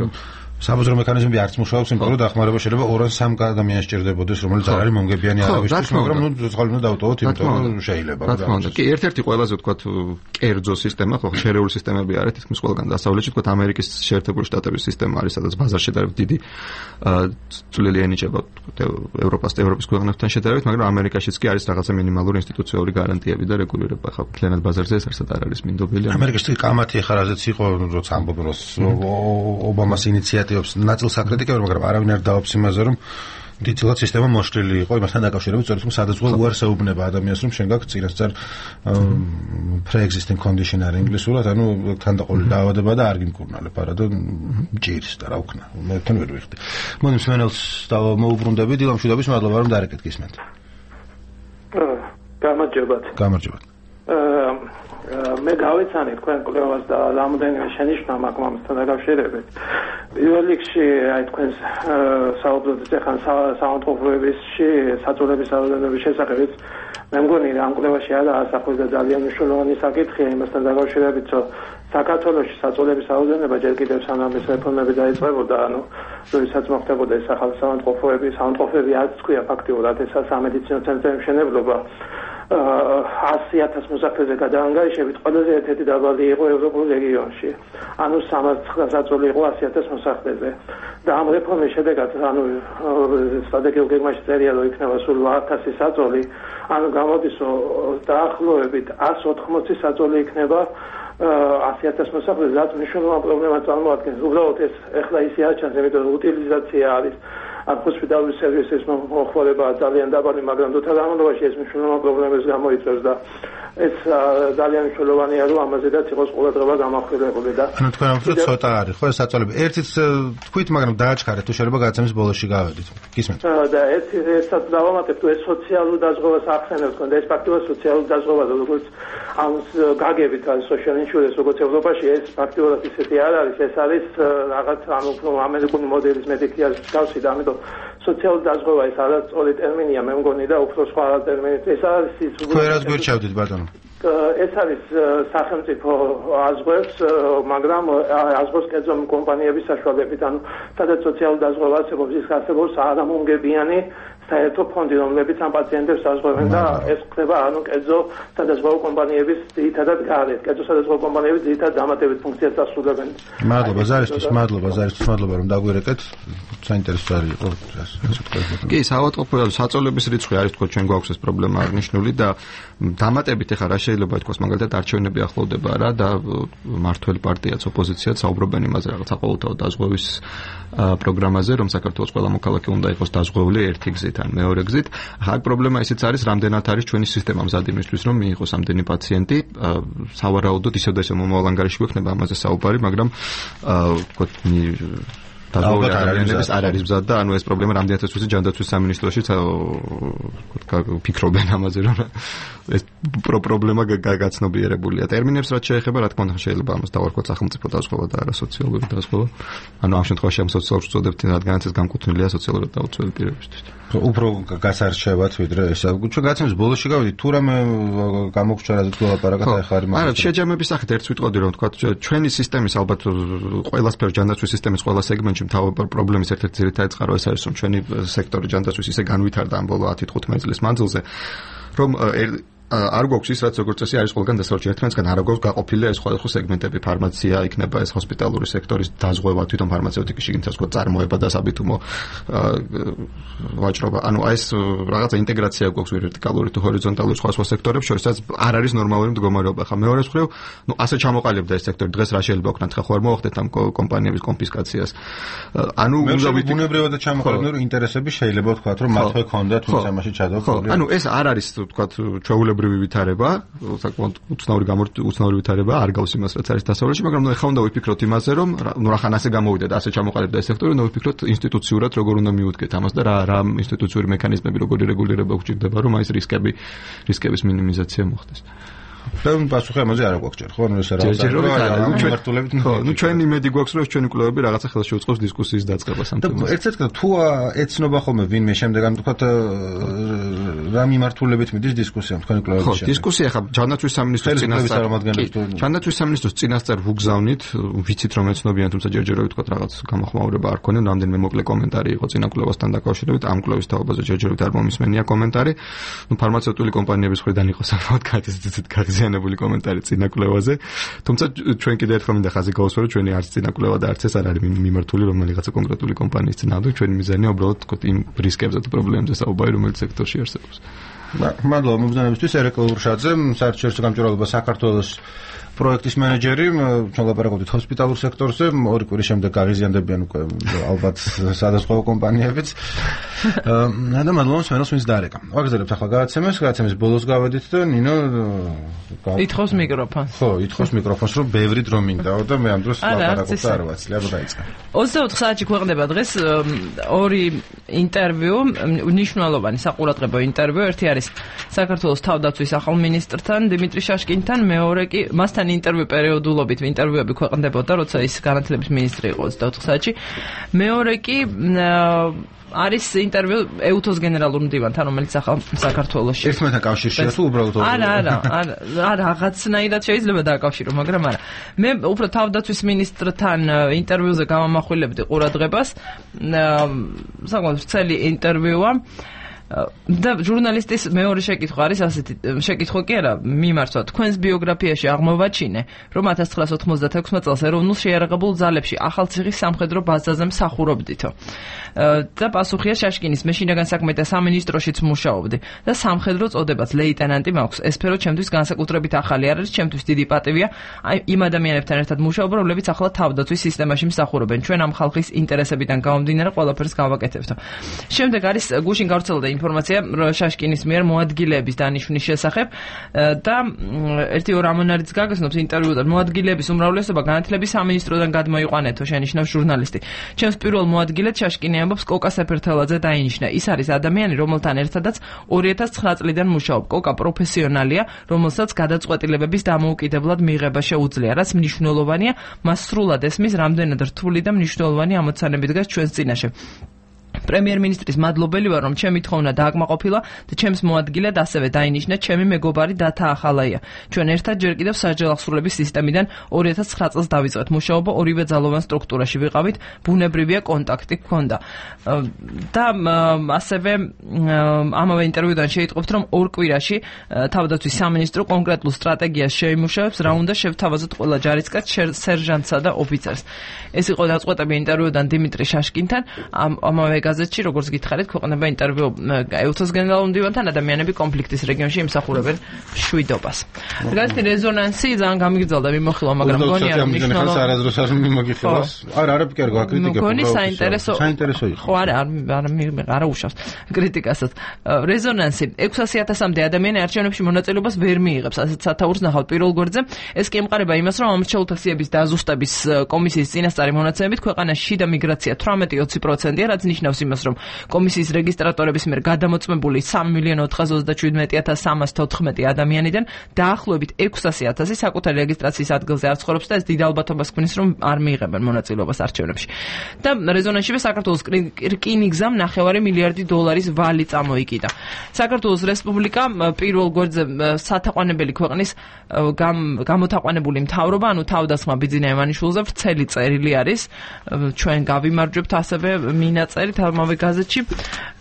საბაზრო მექანიზმები არც მუშაობს, იმიტომ რომ დახმარება შეიძლება ორ ან სამ ადამიანს სჭირდებოდეს, რომელიც არ არის მომგებიანი არავისთვის, მაგრამ ნუ ძღალი უნდა დავტოვოთ, იმიტომ რომ შეიძლება. რა თქმა უნდა. კი, ერთ-ერთი ყველაზე ვთქვათ კერძო სისტემა, ხო, შერეული სისტემები არის თითქმის ყველგან დასავლეთში, ვთქვათ ამერიკის შეერთებული შტატების სისტემა არის, სადაც ბაზარში შედარებით დიდი წვლილი ენიჭება ევროპას, ევროპის ქვეყნებთან შედარებით, მაგრამ ამერიკაშიც კი არის რაღაცა მინიმალური ინსტიტუციური გარანტიები და რეგულირება. ხო, მთლიანად ბაზარზე ეს არსად არ არის მინდობილი. ამერიკაში კამათი ახლა რაზეც იყო, როცა ამბობენ რომ ობამას ინიციატივას ნაწილს აკრიტიკებენ, მაგრამ არავინ არ დაობს იმაზე, რომ დიდწილად სისტემა მოშლილი იყო იმასთან დაკავშირებით, სწორედ რომ სადაზღვევო უარს ეუბნება ადამიანს, რომ შენ გაქვს წინასწარ pre-existing condition არ ინგლისურად, ანუ თანდაყოლილი დაავადება და არ გიმკურნალებ, არადა მჭირს და რა ვქნა. მე თან ვერ ვიხდი. მოდი მსმენელს მოუბრუნდები, დილა მშვიდობის, მადლობა რომ დაარეკეთ გისმენთ. გამარჯობათ. გამარჯობათ. მე გავეცანი თქვენ კვლევას და რამოდენიმე შენიშვნა მაქვს ამასთან დაკავშირებით. პირველ რიგში აი თქვენ საუბრობთ ახლა საავადმყოფოებაში საწოლების რაოდენობის შესახებაც. მე მგონი ამ კვლევაში არა ასახული და ძალიან მნიშვნელოვანი საკითხია იმასთან დაკავშირებით, რომ საქართველოში საწოლების რაოდენობა ჯერ კიდევ სანამ ეს რეფორმები დაიწყებოდა, ანუ როდესაც მოხდებოდა ეს ახალი საავადმყოფოები, საავადმყოფოები არც თქვია ფაქტიურად ეს სამედიცინო ცენტრების მშენებლობა ასი ათას მოსახლეზე გადაანგარიშებით ყველაზე ერთ-ერთი დაბალი იყო ევროპულ რეგიონში. ანუ სამარცხრა საწოლი იყო ასი ათას მოსახლეზე. და ამ რეფორმის შედეგად, ანუ სტრატეგიულ გეგმაში წერია, რომ იქნება სულ ათასი საწოლი, ანუ გამოდის, რომ დაახლოებით ასი ოთხმოცი საწოლი იქნება ასი ათას მოსახლეზე, რაც მნიშვნელოვან პრობლემას წარმოადგენს. უბრალოდ ეს ეხლა ისე არ ჩანს, იმიტომ რომ უტილიზაცია არის ამ ჰოსპიტალური სერვისის მოხმარება ძალიან დაბალი, მაგრამ დროთა განმავლობაში ეს მნიშვნელოვან პრობლემებს გამოიწვევს და ეს ძალიან მნიშვნელოვანია, რომ ამაზედაც იყოს ყურადღება გამახვილებული და ანუ თქვენ ამბობთ ცოტა არის, ხო, საწოლები. ერთიც თქვით, მაგრამ დააჩქარეთ, თუ შეიძლება გადაცემის ბოლოში გავედით. გისმენთ? და ეს ესაც დავამატებ, თუ ეს სოციალურ დაზღვევას ახსენებთ, და ეს ფაქტობრივად სოციალურ დაზღვევაზე, როგორც ამ გაგებით არის social insurance, როგორც ევროპაში, ეს ფაქტობრივად ისეთი არ არის, ეს არის რაღაც ანუ ამერიკული მოდელის მედიკიას გავსი და ამიტომ სოციალური დაზღვევა ეს არის სწორი ტერმინია, მე მგონი და უფრო სხვა ტერმინით. ეს არის ის თქვენ რას გვერჩავდით ბატონო? ეს არის სახელმწიფო აზღვევს, მაგრამ აზღვევს კერძო კომპანიების საშუალებით, ანუ სადაც სოციალური დაზღვევა არსებობს, ის არსებობს არამომგებიანი საერთო ფონდი, რომლებიც ამ პაციენტებს აზღვევენ და ეს ხდება ანუ კერძო სადაზღვევო კომპანიების ძირითადად გარეთ. კერძო სადაზღვევო კომპანიები ძირითადად დამატებით ფუნქციას ასრულებენ. მადლობა ზარისთვის, მადლობა ზარისთვის, მადლობა რომ დაგვირეკეთ. საინტერესო არის იყო ეს თქვენ. კი, საავადმყოფოებრივი საწოლების რიცხვი არის თქო ჩვენ გვაქვს ეს პრობლემა აღნიშნული და დამატებით ახლა რა შეიძლება ითქვას, მაგალითად არჩევნები ახლოვდება რა და მართველი პარტიაც ოპოზიციაც საუბრობენ იმაზე რაღაც საყოველთაო დაზღვევის პროგრამაზე, რომ საქართველოს ყველა მოქალაქე უნდა იყოს დაზღვეული ერთი გზით ან მეორე გზით. ახლა პრობლემა ისიც არის, რამდენად არის ჩვენი სისტემა მზად იმისთვის, რომ მიიღოს ამდენი პაციენტი. სავარაუდოდ ისევ და ისევ მომავალ ანგარიში გვექნება ამაზე საუბარი, მაგრამ ვთქვათ დაზღვეული ადამიანების არ არის მზად და ანუ ეს პრობლემა რამდენადაც ვიცი ჯანდაცვის სამინისტროშიც ფიქრობენ ამაზე რომ ეს პრობლემა გაცნობიერებულია. ტერმინებს რაც შეეხება, რა თქმა უნდა, შეიძლება ამას დავარქვათ სახელმწიფო დაზღვევა და არა სოციალური დაზღვევა. ანუ ამ შემთხვევაში ამ სოციალურ წოდებთ, რადგანაც ეს განკუთვნილია სოციალურად დაუცველი პირებისთვის. უფრო გასარჩევად ვიდრე ესა. ჩვენ გაცემის ბოლოში გავიდით, თუ რამე გამოგჩა რაზეც ვილაპარაკოთ ახლა არის. არა, შეჯამების სახით ერთ ვიტყოდი რომ თქვა ჩვენი სისტემის ალბათ ყველა სფერო ჯანდაცვის სისტემის ყველა სეგმენტში მთავარი პრობლემის ერთ-ერთი ძირითადი წყარო ეს არის რომ ჩვენი სექტორი ჯანდაცვის ისე განვითარდა ამ ბოლო ათი თხუთმეტი წლის მანძილზე რომ არ გვაქვს ის რაც როგორც წესი არის ყველგან დასავლეთში ერთმანეთსგან არ გვაქვს გაყოფილი ეს სხვადასხვა სეგმენტები ფარმაცია იქნება ეს ჰოსპიტალური სექტორის დაზღვევა თვითონ ფარმაცევტიკის შიგნით სხვა წარმოება და საბითუმო ვაჭრობა ანუ ეს რაღაცა ინტეგრაცია გვაქვს ვერტიკალური თუ ჰორიზონტალური სხვადასხვა სექტორებს შორისაც არ არის ნორმალური მდგომარეობა ხა მეორე მხრივ ნუ ასე ჩამოყალიბდა ეს სექტორი დღეს რა შეიძლება ვქნათ ხა ხო არ მოახდეთ ამ კომპანიების კონფისკაციას ანუ ბუნებრივად და ჩამოყალიბდა რომ ინტერესები შეიძლება ვთქვათ რომ მათვე ქონდათ თუმცა ამაში ჩადოქოლი ანუ ეს არ არის ვთქვათ ჩვეულებრივი ვითარება საკმაოდ უცნაური უცნაური ვითარება არ გავს იმას რაც არის დასავლეთში მაგრამ ნუ ეხლა უნდა ვიფიქროთ იმაზე რომ ნუ რახან ასე გამოვიდა და ასე ჩამოყალიბდა ეს სექტორი უნდა ვიფიქროთ ინსტიტუციურად როგორ უნდა მიუდგეთ ამას და რა რა ინსტიტუციური მექანიზმები როგორი რეგულირება გვჭირდება რომ აი ეს რისკები რისკების მინიმიზაცია მოხდეს და პასუხი ამაზე არ გვაქვს ჯერ ხო ანუ ეს რა მართულებით ხო ნუ ჩვენი იმედი გვაქვს რომ ჩვენი კვლევები რაღაცა ხელს შეუწყობს დისკუსიის დაწყებას ამ თემაზე და ერთ-ერთი თუ ეცნობა ხოლმე ვინმე შემდეგ ან თქვა რა მიმართულებით მიდის დისკუსია თქვენი კვლევების შემდეგ ხო დისკუსია ხა ჯანდაცვის სამინისტროს წინასწარ ჯანდაცვის სამინისტროს წინასწარ ვუგზავნით ვიცით რომ ეცნობიან თუმცა ჯერჯერობით თქვა რაღაც გამოხმაურება არ ქონია რამდენიმე მოკლე კომენტარი იყო წინა კვლევასთან დაკავშირებით ამ კვლევის თაობაზე ჯერჯერობით არ მომისმენია კომენტარი ნუ ფარმაცევტული კომპანიების მხრიდან იყო საკმაოდ გაზეთი ზიანებული კომენტარი წინა კვლევაზე. თუმცა ჩვენ კიდევ ერთხელ მინდა ხაზი გავუსვრო ჩვენი არც წინა კვლევა და არც ეს არ არის მიმართული რომელიღაცა კონკრეტული კომპანიის წინააღმდეგ. ჩვენი მიზანია უბრალოდ თქო იმ რისკებზე და პრობლემებზე საუბარი რომელიც სექტორში არსებობს. მადლობა მომბრძანებისთვის ერეკლ ურშაძე, საერთაშორისო გამჭვირვალობა საქართველოს პროექტის მენეჯერი, ჩვენ ლაპარაკობთ ჰოსპიტალურ სექტორზე, ორი კვირის შემდეგ გაღიზიანდებიან უკვე ალბათ სადაზღვევო კომპანიებიც. და მადლობა სვენოს ვინც დაარეკა. ვაგზავნებთ ახლა გადაცემას, გადაცემის ბოლოს გავედით და ნინო ითხოვს მიკროფონს. ხო, ითხოვს მიკროფონს, რომ ბევრი დრო მინდაო და მე ამ დროს ლაპარაკობ და არ ვაცლი, აბა დაიწყე. ოცდაოთხ საათში ქვეყნდება დღეს ორი ინტერვიუ, მნიშვნელოვანი საყურადღებო ინტერვიუ, ერთი არის საქართველოს თავდაცვის ახალ მინისტრთან დიმიტრი შაშკინთან, მეორე კი მასთან ინტერვიუ პერიოდულობით ინტერვიუები ქვეყნდებოდა, როცა ის განათლების მინისტრი იყო ოცდაოთხ საათში. მეორე კი არის ინტერვიუ ეუთოს გენერალურ მდივანთან, რომელიც ახალ საქართველოში. ერთმანეთთან კავშირშია თუ უბრალოდ არა, არა, არა, რაღაცნაირად შეიძლება დააკავშირო, მაგრამ არა. მე უფრო თავდაცვის მინისტრთან ინტერვიუზე გამამახვილებდი ყურადღებას. საკმაოდ ვრცელი ინტერვიუა. და ჟურნალისტის მეორე შეკითხვა არის ასეთი შეკითხვა კი არა მიმართვა თქვენს ბიოგრაფიაში აღმოვაჩინე რომ ათას ცხრაასი ოთხმოცდათექვსმე წელს ეროვნულ შეიარაღებულ ძალებში ახალციხის სამხედრო ბაზაზე მსახურობდითო და პასუხია შაშკინის მე შინაგან საქმეთა სამინისტროშიც მუშაობდი და სამხედრო წოდებაც ლეიტენანტი მაქვს ეს სფერო ჩემთვის განსაკუთრებით ახალი არ არის ჩემთვის დიდი პატივია იმ ადამიანებთან ერთად მუშაობა რომლებიც ახლა თავდაცვის სისტემაში მსახურობენ ჩვენ ამ ხალხის ინტერესებიდან გამომდინარე ყველაფერს გავაკეთებთო შემდეგ არის გუშინ გავრცელდა ინფორმაცია შაშკინის მიერ მოადგილეების დანიშვნის შესახებ და ერთი ორ ამონარიც გაგაცნობს ინტერვიუდან მოადგილეების უმრავლესობა განათლების სამინისტროდან გადმოიყვანეთო შენიშნავს ჟურნალისტი ჩემს პირველ მოადგილედ შაშკინი ამბობს კოკა სეფერთელაძე დაინიშნა ის არის ადამიანი რომელთან ერთადაც ორი ათას ცხრა წლიდან მუშაობ კოკა პროფესიონალია რომელსაც გადაწყვეტილებების დამოუკიდებლად მიღება შეუძლია რაც მნიშვნელოვანია მას სრულად ესმის რამდენად რთული და მნიშვნელოვანი ამოცანები დგას ჩვენს წინაშე პრემიერ-მინისტრის მადლობელი ვარ რომ ჩემი თხოვნა დააკმაყოფილა და ჩემს მოადგილედ ასევე დაინიშნა ჩემი მეგობარი დათა ახალაია ჩვენ ერთად ჯერ კიდევ სასჯელ აღსრულების სისტემიდან ორი ათას ცხრა წელს დავიწყეთ მუშაობა ორივე ძალოვან სტრუქტურაში ვიყავით ბუნებრივია კონტაქტი გქონდა და ასევე ამავე ინტერვიუდან შეიტყობთ რომ ორ კვირაში თავდაცვის სამინისტრო კონკრეტულ სტრატეგიას შეიმუშავებს რა უნდა შევთავაზოთ ყველა ჯარისკაც სერჟანტსა და ოფიცერს ეს იყო დაწყვეტები ინტერვიუდან დიმიტრი შაშკინთან ამავე გაზეთში, როგორც გითხარით, ქვეყნება ინტერვიუ ეუთოს გენერალურ მდივანთან, ადამიანები კონფლიქტის რეგიონში იმსახურებენ მშვიდობას. გაზეთი რეზონანსი ძალიან გამიგრძელდა მიმოხილვა, მაგრამ გონია რომ მნიშვნელოვანი არაზრუს არ მიმოგიხილავს. არა, არა პიკერგო აკრიტიკა. გონი საინტერესო საინტერესო იყო. ხო, არა, არ არ უშავს კრიტიკასაც. რეზონანსი ექვსასი ათასამდე ადამიანი არჩევნებში მონაწილეობას ვერ მიიღებს, ასეთ სათაურს ნახავთ პირველ გვერდზე. ეს კი ემყარება იმას, რომ ამორჩეულ ტაქსიების დაზუსტების კომისიის წინასწარი მონაცემებით ქვეყანაში შიდა მიგრაცია თვრამეტი ოცი პროცენტია, რაც ნიშნავს იმას, რომ კომისიის რეგისტრატორების მიერ გადამოწმებული სამი მილიონ ოთხას ოცდაშვიდმეტი ათას სამას თოთხმეტი ადამიანიდან დაახლოებით ექვსასი ათასი საკუთარი რეგისტრაციის ადგილზე არ ცხოვრობს და ეს დიდ ალბათობას ქმნის, რომ არ მიიღებენ მონაწილეობას არჩევნებში. და რეზონანსშივე საქართველოს რკინიგზამ ნახევარი მილიარდი დოლარის ვალი წამოიკიდა. საქართველოს რესპუბლიკა პირველ გვერდზე სათაყვანებელი ქვეყნის გამოთაყვანებული მთავრობა, ანუ თავდასხმა ბიძინა ივანიშვილზე ვრცელი წერილი არის. ჩვენ გავიმარჯვებთ ასევე მინაწერით ამავე გაზეთში.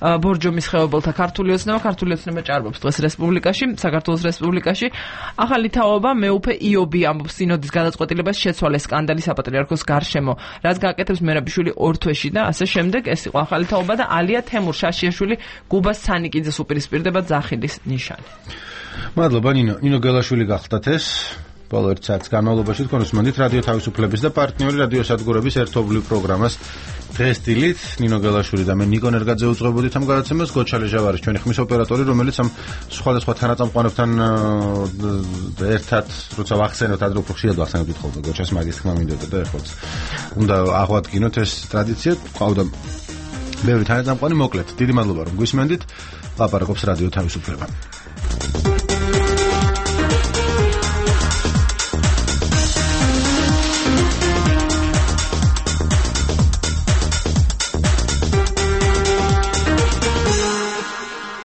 ბორჯომის ხეობელთა ქართული ოცნება, ქართული ოცნება ჭარბობს დღეს რესპუბლიკაში, საქართველოს რესპუბლიკაში. ახალი თაობა მეუფე იობი ამბობს სინოდის გადაწყვეტილებას შეცვალე სკანდალი საპატრიარქოს გარშემო, რაც გააკეთებს მერაბიშვილი ორ თვეში და ასე შემდეგ. ეს იყო ახალი თაობა და ალია თემურ შაშიაშვილი გუბას ცანიკიძეს უპირისპირდება ძახილის ნიშანი. მადლობა ნინო. ნინო გელაშვილი გახდათ ეს. ბოლო ერთ საათის განმავლობაში თქვენ უსმენთ რადიო თავისუფლების და პარტნიორი რადიო სადგურების ერთობლივ პროგრამას დღეს დილით. ნინო გელაშვილი და მე ნიკონ ერგაძე უძღვებოდით ამ გადაცემას. გოჩალე ჟავარის ჩვენი ხმის ოპერატორი, რომელიც ამ სხვადასხვა თანაწამყვანებთან ერთად როცა ვახსენოთ ადრე უფრო ხშირად ვახსენებთ ხოლმე გოჩას მაგის თქმა მინდოდა და ეხლა უნდა აღვადგინოთ ეს ტრადიცია. ყავდა ბევრი თანაწამყვანი, მოკლედ დიდი მადლობა რომ გვისმენდით. ლაპარაკობს რადიო თავისუფლება.